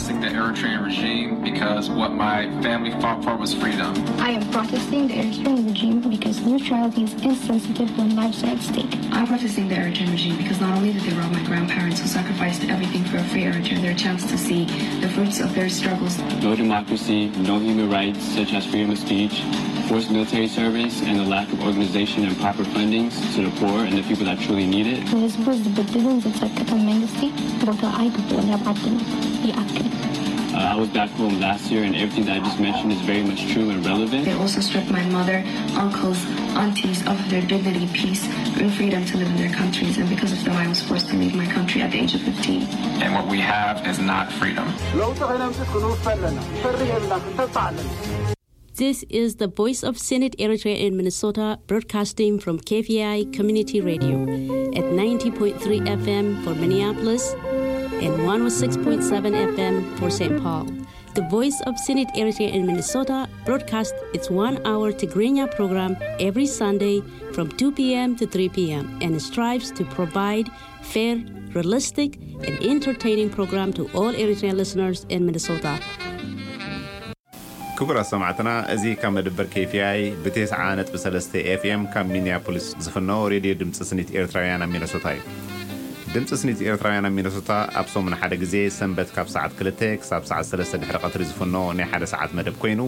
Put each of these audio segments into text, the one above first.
The Eritrean regime because what my family fought for was freedom. I am protesting the Eritrean regime because neutrality is insensitive when lives are at stake. I'm protesting the Eritrean regime because not only did they rob my grandparents who sacrificed everything for a free Eritrea their chance to see the fruits of their struggles. No democracy, no human rights such as freedom of speech, forced military service, and the lack of organization and proper fundings to the poor and the people that truly need it. ንህዝቡ ዝብድልን ዝጸቅጥን መንግስቲ ቦታ ኣይግብኦን። ኣብ ዓድና ይኣክል። Uh, I was back home last year, and everything that I just mentioned is very much true and relevant. They also stripped my mother, uncles, aunties of their dignity, peace, and freedom to live in their countries. And because of them, I was forced to leave my country at the age of fifteen. And what we have is not freedom. ለውጢ ከነምፅእ ክንውፈ ኣለና። ንፈርህ የብልና፣ ክንተስፋ ኣለና። This is the Voice of Senate Eritrea in Minnesota, broadcasting from K V I Community Radio at ninety point three F M for Minneapolis and one oh six point seven F M for Saint Paul. The Voice of Senate Eritrea in Minnesota broadcasts its one-hour Tigrinya program every Sunday from two p.m. to three p.m. and strives to provide fair, realistic, and entertaining program to all Eritrean listeners in Minnesota. ክቡራት ሰማዕትና፣ እዚ ካብ መደበር K V I ብ ተስዓ ነጥቢ ሰለስተ F M ካብ ሚኒያፖሊስ ዝፍኖ ሬድዮ ድምፂ ስኒት ኤርትራውያን ኣብ ሚነሶታ እዩ። ድምፂ ስኒት ኤርትራውያን ኣብ ሚነሶታ ኣብ ሰሙን ሓደ ግዜ፣ ሰንበት ካብ ሰዓት ክልተ ክሳብ ሰዓት ሰለስተ ድሕሪ ቀትሪ ዝፍኖ ናይ ሓደ ሰዓት መደብ ኮይኑ፣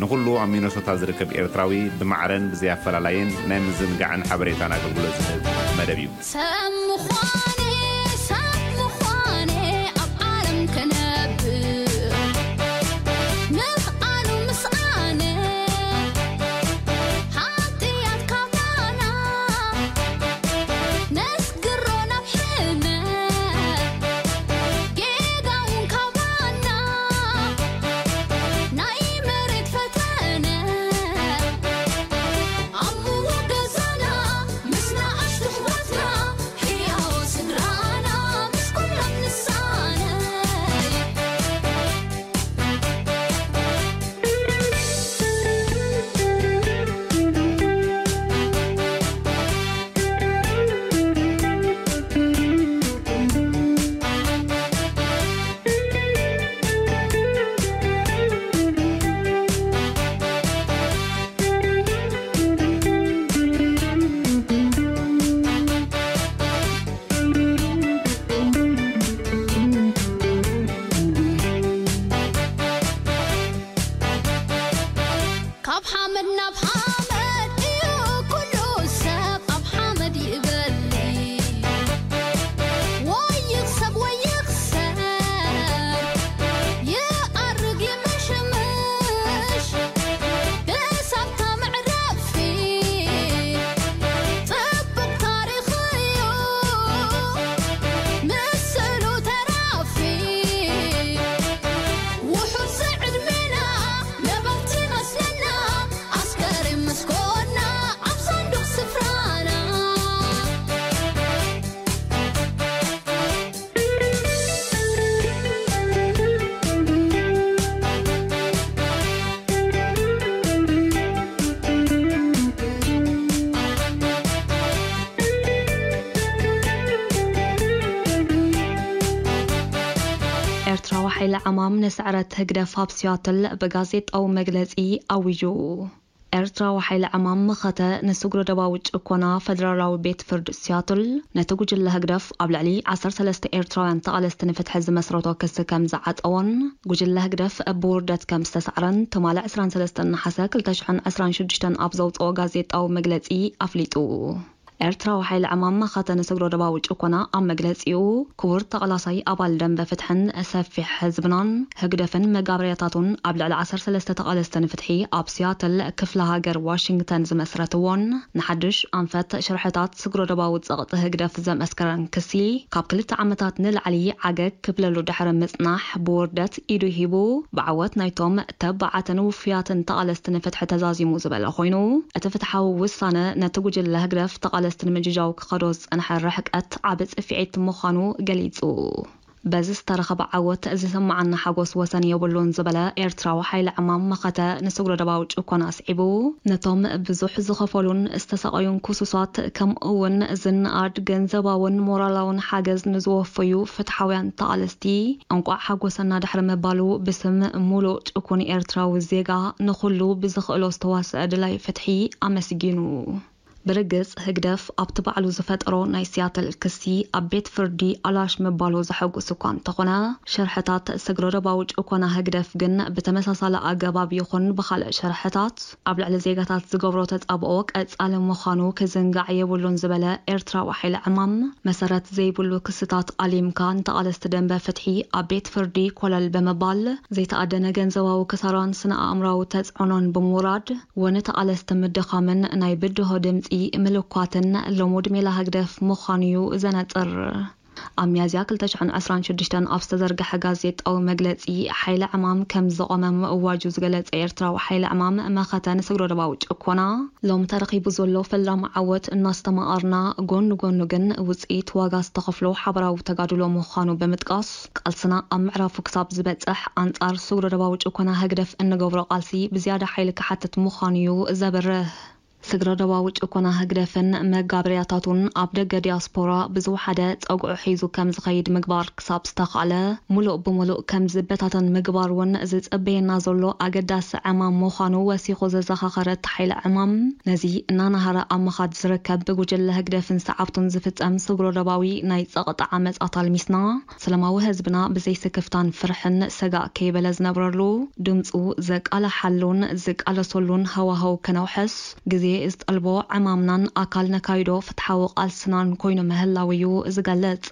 ንኹሉ ኣብ ሚነሶታ ዝርከብ ኤርትራዊ ብማዕረን ብዘይ ኣፈላላይን ናይ ምዝንጋዕን ሓበሬታን ኣገልግሎት ዝህብ መደብ እዩ። ሰብ ምዃነ፣ ሰብ ምዃነ ኣብ ዓለም ክነብር ምኽኣሉ ምስኣነ ሓጥያት ካባና ነስግሮ ናብ ሕነ ጌጋ እውን ካባና ናይ መሬት ፈተነ ኣብ ምውገዛና ምስ ንኣሽቱ ኣሕዋትና ሕያዎ ስድራና ምስ ኩሎም ንሳነይ። ካብ ሓመድ ናብ ሓመድ እዩ ኩሉ ሰብ ኣብ ሓመድ ይበሊ። ወይ ይኽሰብ ወይ ይኽሰር ይኣርግ ይምሽምሽ ብሳብታ መዕረፊ ጽቡቕ ታሪኽ እዩ ምስሉ ተራፊ። ውሑድ ዝዕድሜና ነበርቲ መስለና ኣስከሬን ምስ ኮና ኣብ ሳንዱቕ ስፍራና። ኤርትራዊ ሓይሊ ዕማም ንስዕረት ህግደፍ ኣብ ሲያትል ብጋዜጣዊ መግለጺ ኣዊጁ። ኤርትራዊ ሓይሊ ዕማም መኸተ ንስግረ ዶባዊ ጭኮና ፈደራላዊ ቤት ፍርድ ሲያትል ነቲ ጉጅለ ህግደፍ ኣብ ልዕሊ ዓሰርተ ሰለስተ ኤርትራውያን ተቓለስቲ ንፍትሒ ዝመስረቶ ክሲ ከም ዝዓጸዎን ጉጅለ ህግደፍ ብውርደት ከም ዝተሳዕረን ትማሊ ዕስራን ሰለስተን ነሓሰ ክልተ ሽሕን ዕስራን ሽዱሽተን ኣብ ዘውጽኦ ጋዜጣዊ መግለጺ ኣፍሊጡ። ኤርትራዊ ሓይሊ ዕማም መኸተ ንስግረ ዶባዊ ጭኮና ኣብ መግለጺኡ፣ ክቡር ተቓላሳይ ኣባል ደንበ ፍትሕን ሰፊሕ ህዝብናን ህግደፍን መጋበርያታቱን ኣብ ልዕሊ ዓሰርተ ሰለስተ ተቓለስቲ ንፍትሒ ኣብ ሲያትል ክፍለ ሃገር ዋሽንግተን ዝመስረትዎን ንሓድሽ ኣንፈት ሽርሕታት ስግረ ዶባዊ ጸቕጢ ህግደፍ ዘመስከረን ክሲ፣ ካብ ክልተ ዓመታት ንላዕሊ ዓገግ ክብለሉ ድሕሪ ምጽናሕ ብውርደት ኢዱ ሂቡ ብዓወት ናይቶም ተባዓትን ውፉያትን ተቓለስቲ ንፍትሒ ተዛዚሙ ዝበለ ኮይኑ፣ እቲ ፍትሓዊ ውሳነ ነቲ ጉጅለ ህግደፍ ተቓለስቲ ንምጅጃው ክኸዶ ዝጸንሐ ርሕቀት ዓቢ ጽፍዒት ምዃኑ ገሊጹ። በዚ ዝተረኸበ ዓወት ዝስምዓና ሓጎስ ወሰን የብሉን ዝበለ ኤርትራዊ ሓይሊ ዕማም መኸተ፣ ንስግረ ዶባዊ ጭኮና ኣስዒቡ፣ ነቶም ብዙሕ ዝኸፈሉን ዝተሰቐዩን ክሱሳት፣ ከምኡ እውን ዝነኣድ ገንዘባውን ሞራላውን ሓገዝ ንዝወፈዩ ፍትሓውያን ተቓለስቲ፣ እንቋዕ ሓጎሰና ድሕሪ ምባሉ፣ ብስም ሙሉእ ጭኩን ኤርትራዊ ዜጋ፣ ንኹሉ ብዝኽእሎ ዝተዋስአ ደላይ ፍትሒ ኣመስጊኑ። ብርግጽ፣ ህግደፍ ኣብቲ ባዕሉ ዝፈጠሮ ናይ ሲያትል ክሲ፣ ኣብ ቤት ፍርዲ ኣላሽ ምባሉ ዘሐጉስ እኳ እንተኾነ፣ ሸርሕታት ስግረ ዶባዊ ጭኮና ህግደፍ ግን ብተመሳሳሊ ኣገባብ ይኹን ብኻልእ ሸርሕታት ኣብ ልዕሊ ዜጋታት ዝገብሮ ተጻብኦ ቀጻሊ ምዃኑ ክዝንጋዕ የብሉን ዝበለ ኤርትራዊ ሓይሊ ዕማም፣ መሰረት ዘይብሉ ክስታት ኣሊምካ ንተቓለስቲ ደንበ ፍትሒ ኣብ ቤት ፍርዲ ኮለል ብምባል፣ ዘይተኣደነ ገንዘባዊ ክሳራን ስነ ኣእምራዊ ተጽዕኖን ብምውራድ፣ ወነ ተቓለስቲ ምድኻምን ናይ ብድሆ ድምጺ ምልኳትን ልሙድ ሜላ ህግደፍ ምዃኑ'ዩ ዘነጽር። ኣብ ሚያዝያ ክልተ ሽሕን ዕስራን ሽዱሽተን ኣብ ዝተዘርግሐ ጋዜጣዊ መግለጺ፣ ሓይሊ ዕማም ከም ዘቖመ ምእዋጁ ዝገለጸ ኤርትራዊ ሓይሊ ዕማም መኸተ ንስግረ ዶባዊ ጭኮና፣ ሎም ተረኺቡ ዘሎ ፈላሚ ዓወት እናስተማቐርና፣ ጎኒ ጎኑ ግን ውጽኢት ዋጋ ዝተኸፍሎ ሓበራዊ ተጋድሎ ምዃኑ ብምጥቃስ፣ ቃልስና ኣብ ምዕራፉ ክሳብ ዝበጽሕ ኣንጻር ስግረ ዶባዊ ጭኮና ህግደፍ እንገብሮ ቃልሲ ብዝያዳ ሓይሊ ክሓትት ምዃኑ'ዩ ዘብርህ። ስግረ ዶባዊ ጭኮና ህግደፍን መጋበርያታቱን ኣብ ደገ ዲያስፖራ ብዝወሓደ ጸግዑ ሒዙ ከም ዝኸይድ ምግባር ክሳብ ዝተኻእለ፣ ሙሉእ ብሙሉእ ከም ዝበታተን ምግባር እውን ዝጸበየና ዘሎ ኣገዳሲ ዕማም ምዃኑ ወሲኹ ዘዘኻኸረ እቲ ሓይሊ ዕማም፣ ነዚ እናናሃረ ኣብ ምኻድ ዝርከብ ብጉጅለ ህግደፍን ሰዓብቱን ዝፍጸም ስግረ ዶባዊ ናይ ጸቕጢ ዓመጻት ኣልሚስና፣ ሰላማዊ ህዝብና ብዘይ ስክፍታን ፍርሕን ሰጋእ ከይበለ ዝነብረሉ፣ ድምጹ ዘቃልሓሉን ዝቃለሰሉን ሃዋህው ከነውሕስ፣ ግዜ ዝጠልቦ ዕማምናን ኣካል ነካይዶ ፍትሓዊ ቃልስናን ኮይኑ ምህላው እዩ ዝገልጽ።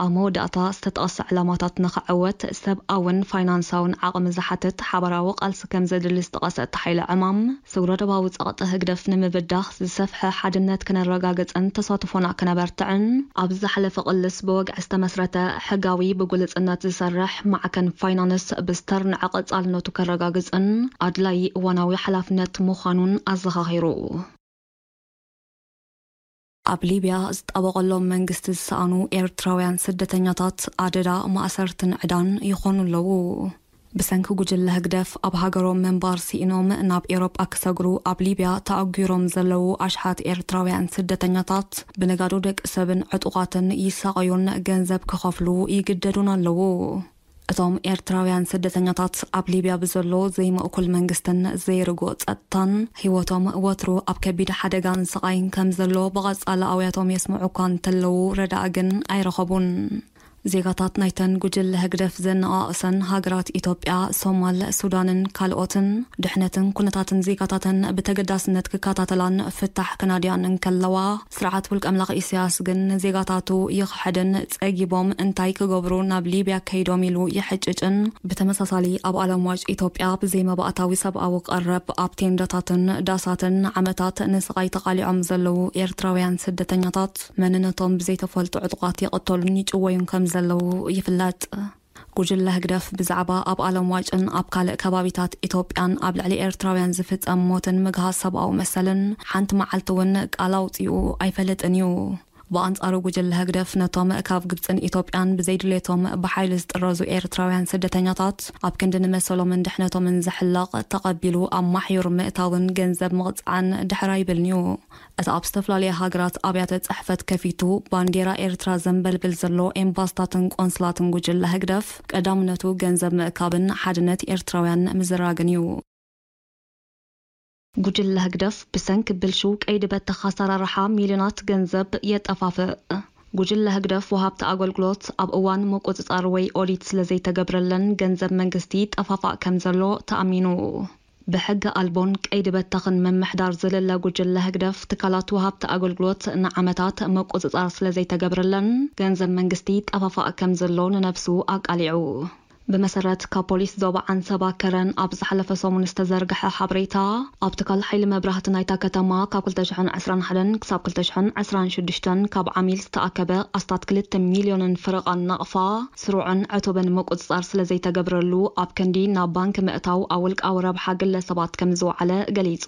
ኣብ መወዳእታ፣ ዝተጠቕሰ ዕላማታት ንኽዕወት ሰብኣውን ፋይናንሳውን ዓቕሚ ዝሓትት ሓባራዊ ቃልሲ ከም ዘድሊ ዝጠቐሰ እቲ ሓይሊ ዕማም፣ ስግረ ዶባዊ ጸቕጢ ህግደፍ ንምብዳህ ዝሰፍሐ ሓድነት ከነረጋግጽን ተሳትፎና ከነበርትዕን፣ ኣብ ዝሓለፈ ቅልስ ብወግዒ ዝተመስረተ ሕጋዊ ብግሉጽነት ዝሰርሕ ማዕከን ፋይናንስ ብስተርንዐ ቀጻልነቱ ከረጋግጽን ኣድላዪ እዋናዊ ሓላፍነት ምዃኑን ኣዘኻኺሩ። ኣብ ሊብያ ዝጣበቐሎም መንግስቲ ዝሰኣኑ ኤርትራውያን ስደተኛታት ኣደዳ ማእሰርትን ዕዳን ይኾኑ ኣለዉ። ብሰንኪ ጉጅለ ህግደፍ ኣብ ሃገሮም ምንባር ስኢኖም ናብ ኤውሮጳ ክሰግሩ ኣብ ሊብያ ተኣጒሮም ዘለዉ ኣሽሓት ኤርትራውያን ስደተኛታት ብነጋዶ ደቂ ሰብን ዕጡቓትን ይሳቐዩን ገንዘብ ክኸፍሉ ይግደዱን ኣለዉ። እቶም ኤርትራውያን ስደተኛታት ኣብ ሊብያ ብዘሎ ዘይምእኩል መንግስትን ዘይርጉእ ጸጥታን፣ ህይወቶም ወትሩ ኣብ ከቢድ ሓደጋን ስቓይን ከም ዘሎ ብቐጻሊ ኣውያቶም የስምዑ እኳ እንተለዉ፣ ረዳኢ ግን ኣይረኸቡን። ዜጋታት ናይተን ጉጅለ ህግደፍ ዘነቓቕሰን ሃገራት ኢትዮጵያ፣ ሶማል፣ ሱዳንን ካልኦትን፣ ድሕነትን ኩነታትን ዜጋታተን ብተገዳስነት ክከታተላን ፍታሕ ክናድያን እንከለዋ፣ ስርዓት ውልቀ ኣምላኽ ኢሳያስ ግን ንዜጋታቱ ይኽሕድን ጸጊቦም እንታይ ክገብሩ ናብ ሊብያ ከይዶም ኢሉ ይሕጭጭን፣ ብተመሳሳሊ ኣብ ኣለምዋጭ ኢትዮጵያ ብዘይ መባእታዊ ሰብኣዊ ቀረብ ኣብ ቴንዳታትን ዳሳትን ንዓመታት ንስቓይ ተቓሊዖም ዘለዉ ኤርትራውያን ስደተኛታት መንነቶም ብዘይተፈልጡ ዕጡቓት ይቕተሉን ይጭወዩን ከም ዘለዉ ይፍለጥ። ጉጅለ ህግደፍ ብዛዕባ ኣብ ኣለምዋጭን ኣብ ካልእ ከባቢታት ኢትዮጵያን ኣብ ልዕሊ ኤርትራውያን ዝፍጸም ሞትን ምግሃስ ሰብኣዊ መሰልን ሓንቲ መዓልቲ እውን ቃል ኣውጺኡ ኣይፈልጥን እዩ። ብኣንጻሩ ጉጅለ ህግደፍ ነቶም ካብ ግብጽን ኢትዮጵያን ብዘይድሌቶም ብሓይሊ ዝጥረዙ ኤርትራውያን ስደተኛታት ኣብ ክንዲ ንመሰሎምን ድሕነቶምን ዝሕለቕ ተቐቢሉ ኣብ ማሕዩር ምእታውን ገንዘብ ምቕጻዕን ድሕር ኣይብልን እዩ። እቲ ኣብ ዝተፈላለያ ሃገራት ኣብያተ ጽሕፈት ከፊቱ ባንዴራ ኤርትራ ዘንበልብል ዘሎ ኤምባስታትን ቆንስላትን ጉጅለ ህግደፍ ቀዳምነቱ ገንዘብ ምእካብን ሓድነት ኤርትራውያን ምዝራግን እዩ። ጉጅለ ህግደፍ ብሰንኪ ብልሹው ቀይዲ በተኽ ኣሰራርሓ ሚልዮናት ገንዘብ የጠፋፍእ። ጉጅለ ህግደፍ ወሃብቲ ኣገልግሎት ኣብ እዋን ምቁጽጻር ወይ ኦዲት ስለ ዘይተገብረለን ገንዘብ መንግስቲ ይጠፋፋእ ከም ዘሎ ተኣሚኑ። ብሕጊ ኣልቦን ቀይዲ በተኽን ምምሕዳር ዝልለ ጉጅለ ህግደፍ ትካላት ወሃብቲ ኣገልግሎት ንዓመታት ምቁጽጻር ስለ ዘይተገብረለን ገንዘብ መንግስቲ ይጠፋፋእ ከም ዘሎ ንነብሱ ኣቃሊዑ። ብመሰረት ካብ ፖሊስ ዞባ ዓንሰባ ከረን ኣብ ዝሓለፈ ሰሙን ዝተዘርግሐ ሓበሬታ፣ ኣብ ትካል ሓይሊ መብራህቲ ናይታ ከተማ ካብ ክልተ ሽሕን ዕስራን ሓደን ክሳብ ክልተ ሽሕን ዕስራን ሽዱሽተን ካብ ዓሚል ዝተኣከበ ኣስታት ክልተ ሚልዮንን ፍርቓን ናቕፋ ስሩዕን ዕቱብን ምቁጽጻር ስለ ዘይተገብረሉ፣ ኣብ ክንዲ ናብ ባንክ ምእታው ኣብ ውልቃዊ ረብሓ ግለሰባት ከም ዝወዓለ ገሊጹ።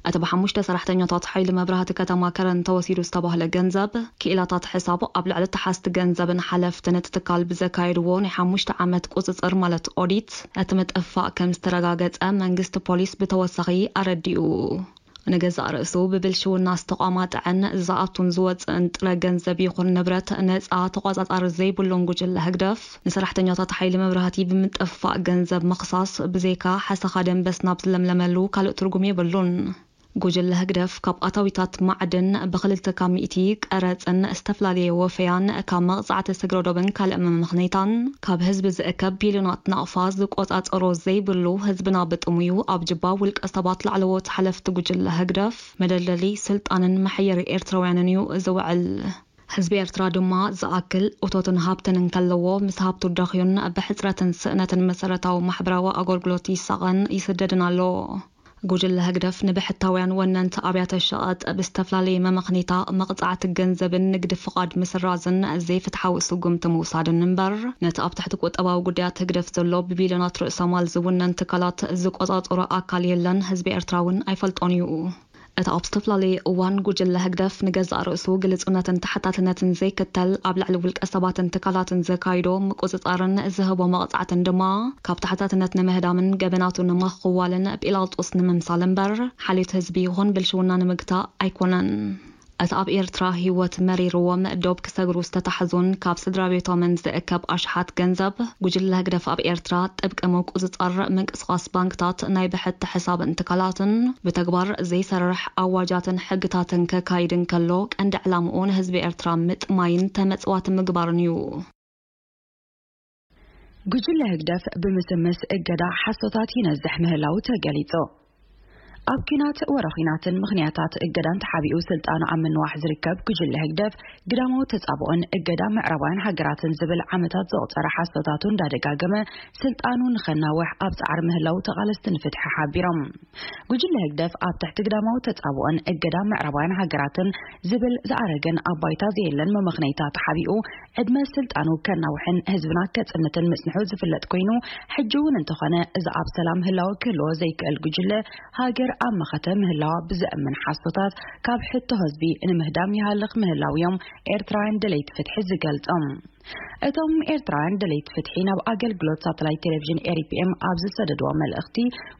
እቲ ብሓሙሽተ ሰራሕተኛታት ሓይሊ መብራህቲ ከተማ ከረን ተወሲዱ ዝተባህለ ገንዘብ፣ ክኢላታት ሕሳብ ኣብ ልዕሊ ተሓዝቲ ገንዘብን ሓለፍትን እቲ ትካል ብዘካየድዎ ናይ ሓሙሽተ ዓመት ቁጽጽር ማለት ኦዲት፣ እቲ ምጥፋእ ከም ዝተረጋገጸ መንግስቲ ፖሊስ ብተወሳኺ ኣረዲኡ። ንገዛእ ርእሱ ብብልሽውና ዝተቋማጠዐን ዝኣቱን ዝወፅእን ጥረ ገንዘብ ይኹን ንብረት ነፃ ተቋፃፃሪ ዘይብሉን ጉጅለ ህግደፍ፣ ንሰራሕተኛታት ሓይሊ መብራህቲ ብምጥፋእ ገንዘብ ምኽሳስ ብዘይካ ሓሰኻ ደንበስ ናብ ዝለምለመሉ ካልእ ትርጉም የብሉን። ጉጅለ ህግደፍ ካብ ኣታዊታት ማዕድን ብክልተ ካብ ሚእቲ ቀረፅን ዝተፈላለየ ወፈያን ካብ መቕፃዕቲ ስግረ ዶብን ካልእ መመኽነይታን ካብ ህዝቢ ዝእከብ ቢልዮናት ናቕፋ ዝቆፃፀሮ ዘይብሉ፣ ህዝብና ብጥሙዩ ኣብ ጅባ ውልቀ ሰባት ላዕለዎት ሓለፍቲ ጉጅለ ህግደፍ መደልደሊ ስልጣንን መሐየሪ ኤርትራውያንን እዩ ዝውዕል። ህዝቢ ኤርትራ ድማ ዝኣክል እቶትን ሃብትን እንከለዎ፣ ምስ ሃብቱ ደኽዩን ብሕጽረትን ስእነትን መሰረታዊ ማሕበራዊ ኣገልግሎት ይሳቐን ይስደድን ኣሎ። ጉጅለ ህግደፍ ንብሕታውያን ወነንቲ ኣብያተ ሸቐጥ ብዝተፈላለየ መመኽኒታ መቕጻዕቲ ገንዘብን ንግዲ ፍቓድ ምስራዝን ዘይፍትሓዊ ስጉምቲ ምውሳድን እምበር፣ ነቲ ኣብ ትሕቲ ቁጠባዊ ጉዳያት ህግደፍ ዘሎ ብቢልዮናት ርእሰ ማል ዝውነን ትካላት ዝቆጻጸሮ ኣካል የለን፣ ህዝቢ ኤርትራ እውን ኣይፈልጦን እዩ። እቲ ኣብ ዝተፈላለየ እዋን ጉጅለ ህግደፍ ንገዛእ ርእሱ ግልጹነትን ተሓታትነትን ዘይክተል ኣብ ልዕሊ ውልቀ ሰባትን ትካላትን ዘካይዶ ምቁጽጻርን ዝህቦ መቕጻዕትን ድማ ካብ ተሓታትነት ንምህዳምን ገበናቱ ንምኽዋልን ጲላጦስ ንምምሳል እምበር ሓልዮት ህዝቢ ይኹን ብልሽውና ንምግታእ ኣይኮነን። እቲ ኣብ ኤርትራ ህይወት መሪርዎም ዶብ ክሰግሩ ዝተታሕዙን ካብ ስድራ ቤቶምን ዝእከብ ኣሽሓት ገንዘብ ጉጅለ ህግደፍ ኣብ ኤርትራ ጥብቂ ምቁጽጻር ምንቅስቓስ ባንክታት ናይ ብሕቲ ሕሳብን ትካላትን ብተግባር ዘይሰርሕ ኣዋጃትን ሕግታትን ከካይድ እንከሎ ቀንዲ ዕላምኡ ንህዝቢ ኤርትራ ምጥማይን ተመጽዋቲ ምግባርን እዩ። ጉጅለ ህግደፍ ብምስምስ እገዳ ሓሶታት ይነዝሕ ምህላው ተገሊጹ። ኣብ ኪናት ወረ ኺናትን ምኽንያታት እገዳን ተሓቢኡ ስልጣኑ ኣብ ምንዋሕ ዝርከብ ጉጅለ ህግደፍ ግዳማዊ ተጻብኦን እገዳ ምዕራባውያን ሃገራትን ዝብል ዓመታት ዘቑጸረ ሓሶታቱ እንዳደጋገመ ስልጣኑ ንኸናውሕ ኣብ ጻዕሪ ምህላው ተቓለስቲ ንፍትሒ ሓቢሮም። ጉጅለ ህግደፍ ኣብ ትሕቲ ግዳማዊ ተጻብኦን እገዳ ምዕራባውያን ሃገራትን ዝብል ዝኣረገን ኣብ ባይታ ዘየለን መመኽነይታ ተሓቢኡ ዕድመ ስልጣኑ ከናውሕን ህዝብና ከጽንትን ምጽንሑ ዝፍለጥ ኮይኑ፣ ሕጂ እውን እንተኾነ እዚ ኣብ ሰላም ህላወ ክህልዎ ዘይክእል ጉጅለ ሃገር ኣብ መኸተ ምህላዋ ብዘእምን ሓሶታት ካብ ሕቶ ህዝቢ ንምህዳም ይሃልኽ ምህላው እዮም ኤርትራውያን ደለይቲ ፍትሒ ዝገልጾም። እቶም ኤርትራውያን ደለይቲ ፍትሒ ናብ ኣገልግሎት ሳተላይት ቴሌቪዥን ኤሪፒኤም ኣብ ዝሰደድዎ መልእኽቲ፣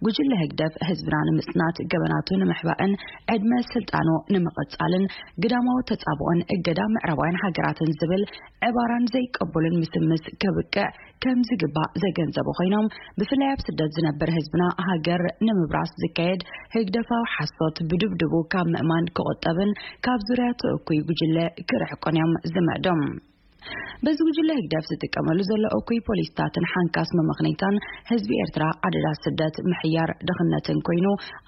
ጉጅለ ህግደፍ ህዝብና ንምጽናት፣ ገበናቱ ንምሕባእን ዕድመ ስልጣኑ ንምቕጻልን ግዳማዊ ተጻብኦን እገዳ ምዕራባውያን ሃገራትን ዝብል ዕባራን ዘይቀበሉን ምስምስ ከብቅዕ ከም ዝግባእ ዘገንዘቡ ኮይኖም፣ ብፍላይ ኣብ ስደት ዝነብር ህዝብና ሃገር ንምብራስ ዝካየድ ህግደፋዊ ሓሶት ብድብድቡ ካብ ምእማን ክቑጠብን ካብ ዙርያ እቲ እኩይ ጉጅለ ክርሕቁን እዮም ዝምዕዶም። በዚ ጉጅለ ህግደፍ ዝጥቀመሉ ዘሎ እኩይ ፖሊስታትን ሓንካስ መመኽነይታን ህዝቢ ኤርትራ ኣደዳ ስደት፣ ምሕያር፣ ድኽነትን ኮይኑ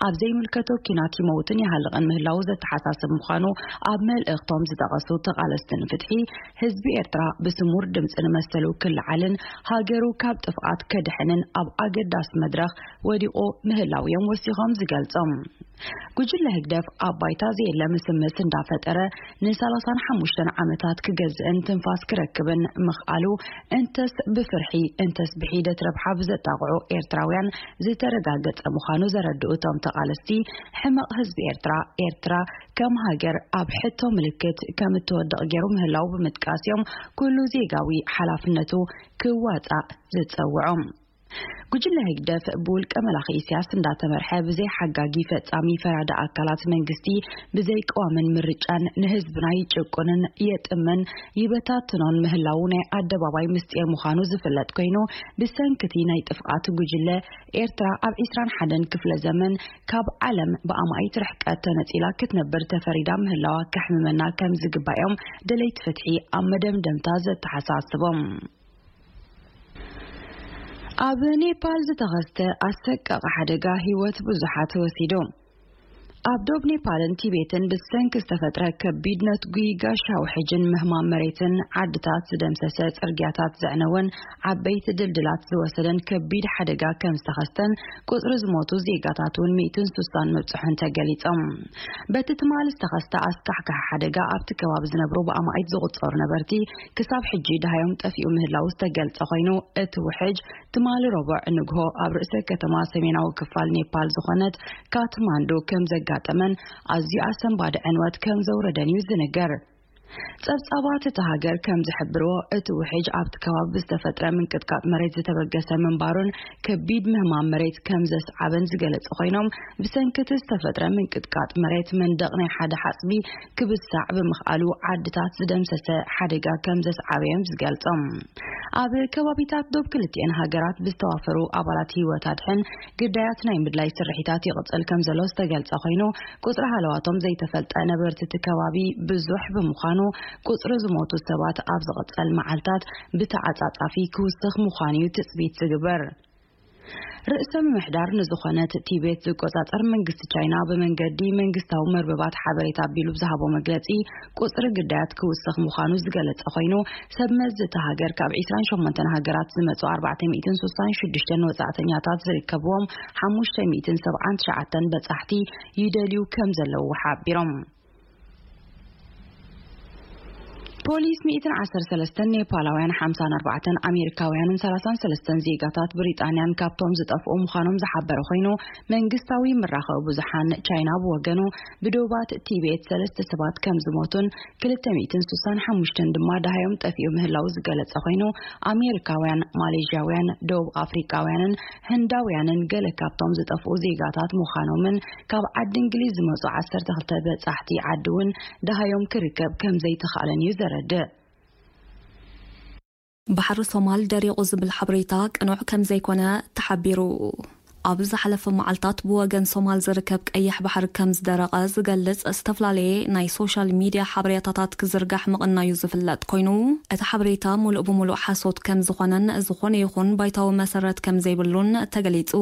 ኣብ ዘይምልከቶ ኪናት ይመውትን ይሃልቕን ምህላው ዘተሓሳስብ ምዃኑ ኣብ መልእኽቶም ዝጠቐሱ ተቓለስቲ ንፍትሒ፣ ህዝቢ ኤርትራ ብስሙር ድምፂ ንመሰሉ ክለዓልን ሃገሩ ካብ ጥፍኣት ከድሕንን ኣብ ኣገዳሲ መድረኽ ወዲቑ ምህላው እዮም ወሲኾም ዝገልጾም። ጉጅለ ህግደፍ ኣብ ባይታ ዘየለ ምስምስ እንዳፈጠረ ንሰላሳን ሓሙሽተን ዓመታት ክገዝእን ትንፋስ ክረክብን ምኽኣሉ፣ እንተስ ብፍርሒ እንተስ ብሒደት ረብሓ ብዘጣቕዑ ኤርትራውያን ዝተረጋገጸ ምዃኑ ዘረድኡ እቶም ተቓለስቲ፣ ሕመቕ ህዝቢ ኤርትራ፣ ኤርትራ ከም ሃገር ኣብ ሕቶ ምልክት ከም እትወድቕ ገይሩ ምህላው ብምጥቃስ እዮም ኩሉ ዜጋዊ ሓላፍነቱ ክዋጻእ ዝጸውዖም። ጉጅለ ህግደፍ ብውልቀ መላኺ ኢሳያስ እንዳተመርሐ ብዘይ ሓጋጊ ፈጻሚ ፈራዲ ኣካላት መንግስቲ ብዘይ ቀዋምን ምርጫን ንህዝብና ይጭቁንን የጥምን ይበታትኖን ምህላዉ ናይ ኣደባባይ ምስጢር ምዃኑ ዝፍለጥ ኮይኑ፣ ብሰንክቲ ናይ ጥፍኣት ጉጅለ ኤርትራ ኣብ ዒስራን ሓደን ክፍለ ዘመን ካብ ዓለም ብኣማኢት ርሕቀት ተነጺላ ክትነብር ተፈሪዳ ምህላዋ ከሕምመና ከም ዝግባእ እዮም ደለይቲ ፍትሒ ኣብ መደምደምታ ዘተሓሳስቦም። ኣብ ኔፓል ዝተኸስተ ኣሰቃቂ ሓደጋ ህይወት ብዙሓት ወሲዱ። ኣብ ዶብ ኔፓልን ቲቤትን ብሰንኪ ዝተፈጥረ ከቢድ ነትጒ ጋሻ ውሕጅን ምህማም መሬትን ዓድታት ዝደምሰሰ፣ ጽርግያታት ዘዕነወን ዓበይቲ ድልድላት ዝወሰደን ከቢድ ሓደጋ ከም ዝተኸስተን ቁጽሪ ዝሞቱ ዜጋታት እውን ሚእትን ስሳን ምብጽሑን ተገሊጾም። በቲ ትማሊ ዝተኸስተ ኣስካሕካሒ ሓደጋ ኣብቲ ከባቢ ዝነብሩ ብኣማኢት ዝቑጸሩ ነበርቲ ክሳብ ሕጂ ደሃዮም ጠፊኡ ምህላው ዝተገልጸ ኮይኑ፣ እቲ ውሕጅ ትማሊ ረቡዕ ንግሆ ኣብ ርእሰ ከተማ ሰሜናዊ ክፋል ኔፓል ዝኾነት ካትማንዱ ከም ዘጋ ዘጋጠመን ኣዝዩ ኣሰንባዲ ዕንወት ከም ዘውረደን እዩ ዝንገር። ጸብጻባት እታ ሃገር ከም ዝሕብርዎ፣ እቲ ውሕጅ ኣብቲ ከባቢ ብዝተፈጥረ ምንቅጥቃጥ መሬት ዝተበገሰ ምንባሩን ከቢድ ምህማም መሬት ከም ዘስዓበን ዝገለጹ ኮይኖም፣ ብሰንኪ እቲ ዝተፈጥረ ምንቅጥቃጥ መሬት መንደቕ ናይ ሓደ ሓጽቢ ክብሳዕ ብምኽኣሉ ዓድታት ዝደምሰሰ ሓደጋ ከም ዘስዓበ እዮም ዝገልጾም። ኣብ ከባቢታት ዶብ ክልቲኤን ሃገራት ብዝተዋፈሩ ኣባላት ህይወት ኣድሕን ግዳያት ናይ ምድላይ ስርሒታት ይቕጽል ከም ዘሎ ዝተገልጸ ኮይኑ፣ ቁጽሪ ሃለዋቶም ዘይተፈልጠ ነበርቲ እቲ ከባቢ ብዙሕ ብምዃኑ፣ ቁጽሪ ዝሞቱ ሰባት ኣብ ዝቕጸል መዓልታት ብተዓጻጻፊ ክውስኽ ምዃኑ እዩ ትጽቢት ዝግበር። ርእሰ ምምሕዳር ንዝኾነት ቲቤት ዝቆጻጸር መንግስቲ ቻይና ብመንገዲ መንግስታዊ መርበባት ሓበሬታ ኣቢሉ ብዝሃቦ መግለጺ፣ ቁጽሪ ግዳያት ክውስኽ ምዃኑ ዝገለጸ ኮይኑ፣ ሰብ መዚ እታ ሃገር ካብ ዒስራን ሸሞንተን ሃገራት ዝመጹ ኣርባዕተ ሚእትን ስሳን ሽዱሽተን ወጻእተኛታት ዝርከብዎም ሓሙሽተ ሚእትን ሰብዓን ትሽዓተን በጻሕቲ ይደልዩ ከም ዘለዉ ሓቢሮም። ፖሊስ ሚእትን ዓሰርተ ሰለስተን ኔፓላውያን፣ ሓምሳን ኣርባዕተን ኣሜሪካውያንን ሰላሳን ሰለስተን ዜጋታት ብሪጣንያን ካብቶም ዝጠፍኡ ምዃኖም ዝሓበረ ኮይኑ፣ መንግስታዊ መራኸቢ ብዙሓን ቻይና ብወገኑ፣ ብዶባት ቲቤት ሰለስተ ሰባት ከም ዝሞቱን ክልተ ሚእትን ስሳን ሓሙሽተን ድማ ደሃዮም ጠፊኡ ምህላው ዝገለጸ ኮይኑ፣ ኣሜሪካውያን፣ ማሌዥያውያን፣ ደቡብ ኣፍሪቃውያንን ህንዳውያንን ገለ ካብቶም ዝጠፍኡ ዜጋታት ምዃኖምን ካብ ዓዲ እንግሊዝ ዝመጹ ዓሰርተ ክልተ በጻሕቲ ዓዲ እውን ደሃዮም ክርከብ ከም ዘይተኻእለን እዩ ዘረድእ። ባሕሪ ሶማል ደሪቑ ዝብል ሓበሬታ ቅኑዕ ከም ዘይኮነ ተሓቢሩ። ኣብ ዝሓለፈ መዓልታት ብወገን ሶማል ዝርከብ ቀይሕ ባሕሪ ከም ዝደረቐ ዝገልጽ ዝተፈላለየ ናይ ሶሻል ሚድያ ሓበሬታታት ክዝርጋሕ ምቕናዩ ዝፍለጥ ኮይኑ፣ እቲ ሓበሬታ ሙሉእ ብሙሉእ ሓሶት ከም ዝኾነን ዝኾነ ይኹን ባይታዊ መሰረት ከም ዘይብሉን ተገሊጹ።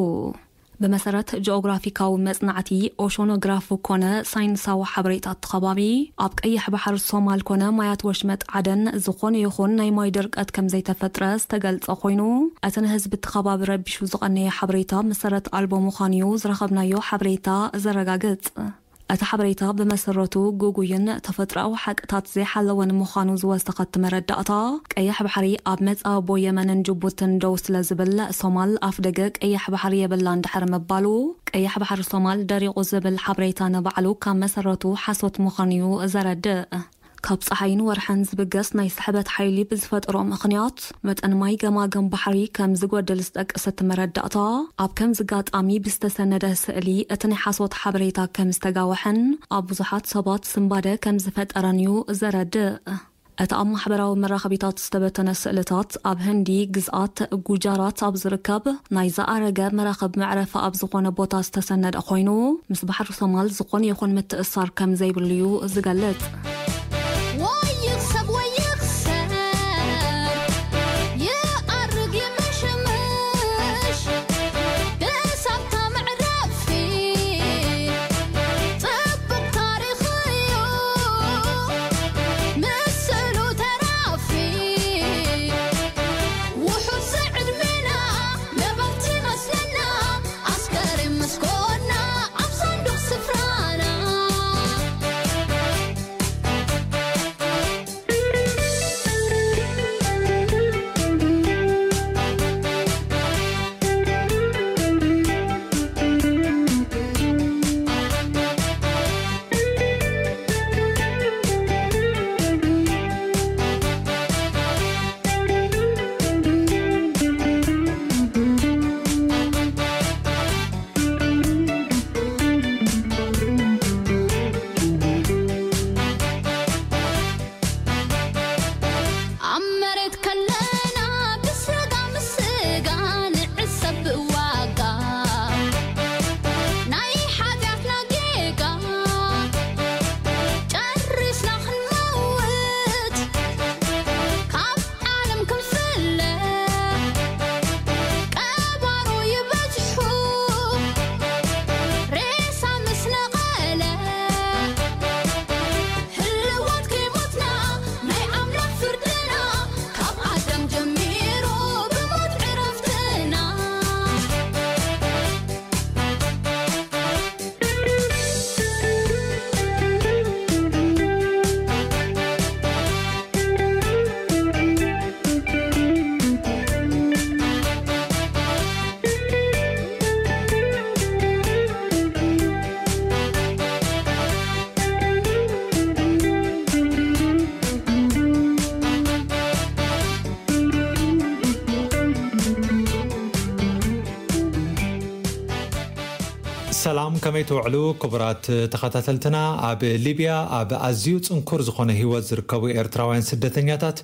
ብመሰረት ጂኦግራፊካዊ መጽናዕቲ ኦሾኖግራፍ ኮነ ሳይንሳዊ ሓበሬታ እቲ ከባቢ፣ ኣብ ቀይሕ ባሕሪ ሶማል ኮነ ማያት ወሽመጥ ዓደን ዝኾነ ይኹን ናይ ማይ ድርቀት ከም ዘይተፈጥረ ዝተገልጸ ኮይኑ፣ እቲ ንህዝቢ እቲ ከባቢ ረቢሹ ዝቐነየ ሓበሬታ መሰረት ኣልቦ ምዃኑ'ዩ ዝረኸብናዮ ሓበሬታ ዘረጋግጽ። እቲ ሓበሬታ ብመሰረቱ ግጉይን ተፈጥሮኣዊ ሓቅታት ዘይሓለወን ምዃኑ ዝወሰኸ እቲ መረዳእታ፣ ቀይሕ ባሕሪ ኣብ መጻብቦ የመንን ጅቡትን ደው ስለ ዝብል፣ ሶማል ኣፍደገ ቀይሕ ባሕሪ የብላን ድሕሪ ምባሉ፣ ቀይሕ ባሕሪ ሶማል ደሪቑ ዝብል ሓበሬታ ንባዕሉ ካብ መሰረቱ ሓሶት ምዃኑ'ዩ ዘረድእ። ካብ ጸሓይን ወርሕን ዝብገስ ናይ ስሕበት ሓይሊ ብዝፈጠሮ ምኽንያት፣ መጠን ማይ ገማግም ባሕሪ ከም ዝጎድል ዝጠቅስ እቲ መረዳእታ፣ ኣብ ከምዚ ኣጋጣሚ ብዝተሰነደ ስእሊ እቲ ናይ ሓሶት ሓበሬታ ከም ዝተጋወሐን ኣብ ብዙሓት ሰባት ስንባደ ከም ዝፈጠረን እዩ ዘረድእ። እቲ ኣብ ማሕበራዊ መራኸቢታት ዝተበተነ ስእልታት፣ ኣብ ህንዲ ግዝኣት ጉጃራት ኣብ ዝርከብ ናይ ዝኣረገ መራኽብ መዕረፊ ኣብ ዝኾነ ቦታ ዝተሰነደ ኮይኑ፣ ምስ ባሕሪ ሶማል ዝኾነ ይኹን ምትእስሳር ከም ዘይብሉ እዩ ዝገልጽ። ወይ ይኽሰብ ወይ ይኽሰር፣ ይኣርግ ይምሽምሽ፣ ብሳብታ መዕረፊ ጽቡቕ ታሪኽ እዩ፣ ምስሉ ተራፊ። ውሑድ ዝዕድሜና ነበርቲ መስለና፣ ኣስከሬን መስኮና ኣብ ሳንዱቕ ስፍራና። ሰላም፣ ከመይ ትውዕሉ ክቡራት ተኸታተልትና? ኣብ ሊብያ ኣብ ኣዝዩ ጽንኩር ዝኾነ ህይወት ዝርከቡ ኤርትራውያን ስደተኛታት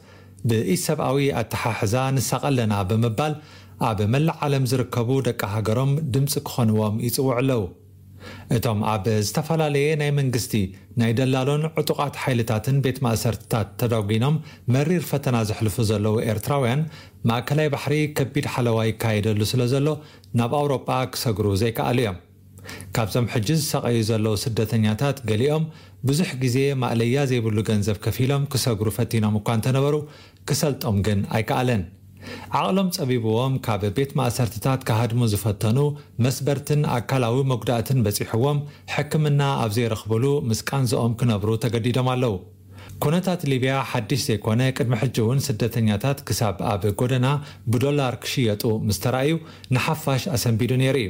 ብኢሰብኣዊ ኣተሓሕዛ ንሳቐ ኣለና ብምባል ኣብ መላእ ዓለም ዝርከቡ ደቂ ሃገሮም ድምጺ ክኾንዎም ይጽውዑ ኣለዉ። እቶም ኣብ ዝተፈላለየ ናይ መንግስቲ፣ ናይ ደላሎን ዕጡቓት ሓይልታትን ቤት ማእሰርትታት ተዳጒኖም መሪር ፈተና ዘሕልፉ ዘለዉ ኤርትራውያን፣ ማእከላይ ባሕሪ ከቢድ ሓለዋ ይካየደሉ ስለ ዘሎ ናብ ኣውሮጳ ክሰግሩ ዘይከኣሉ እዮም። ካብዞም ሕጂ ዝሳቐዩ ዘለዉ ስደተኛታት ገሊኦም ብዙሕ ግዜ ማእለያ ዘይብሉ ገንዘብ ከፊሎም ክሰግሩ ፈቲኖም እኳ እንተነበሩ፣ ክሰልጦም ግን ኣይከኣለን። ዓቕሎም ጸቢብዎም ካብ ቤት ማእሰርትታት ክሃድሙ ዝፈተኑ፣ መስበርትን ኣካላዊ መጉዳእትን በጺሕዎም፣ ሕክምና ኣብ ዘይረኽብሉ ምስ ቃንዝኦም ክነብሩ ተገዲዶም ኣለዉ። ኩነታት ሊብያ ሓድሽ ዘይኮነ፣ ቅድሚ ሕጂ እውን ስደተኛታት ክሳብ ኣብ ጎደና ብዶላር ክሽየጡ ምስ ተራእዩ፣ ንሓፋሽ ኣሰንቢዱ ነይሩ እዩ።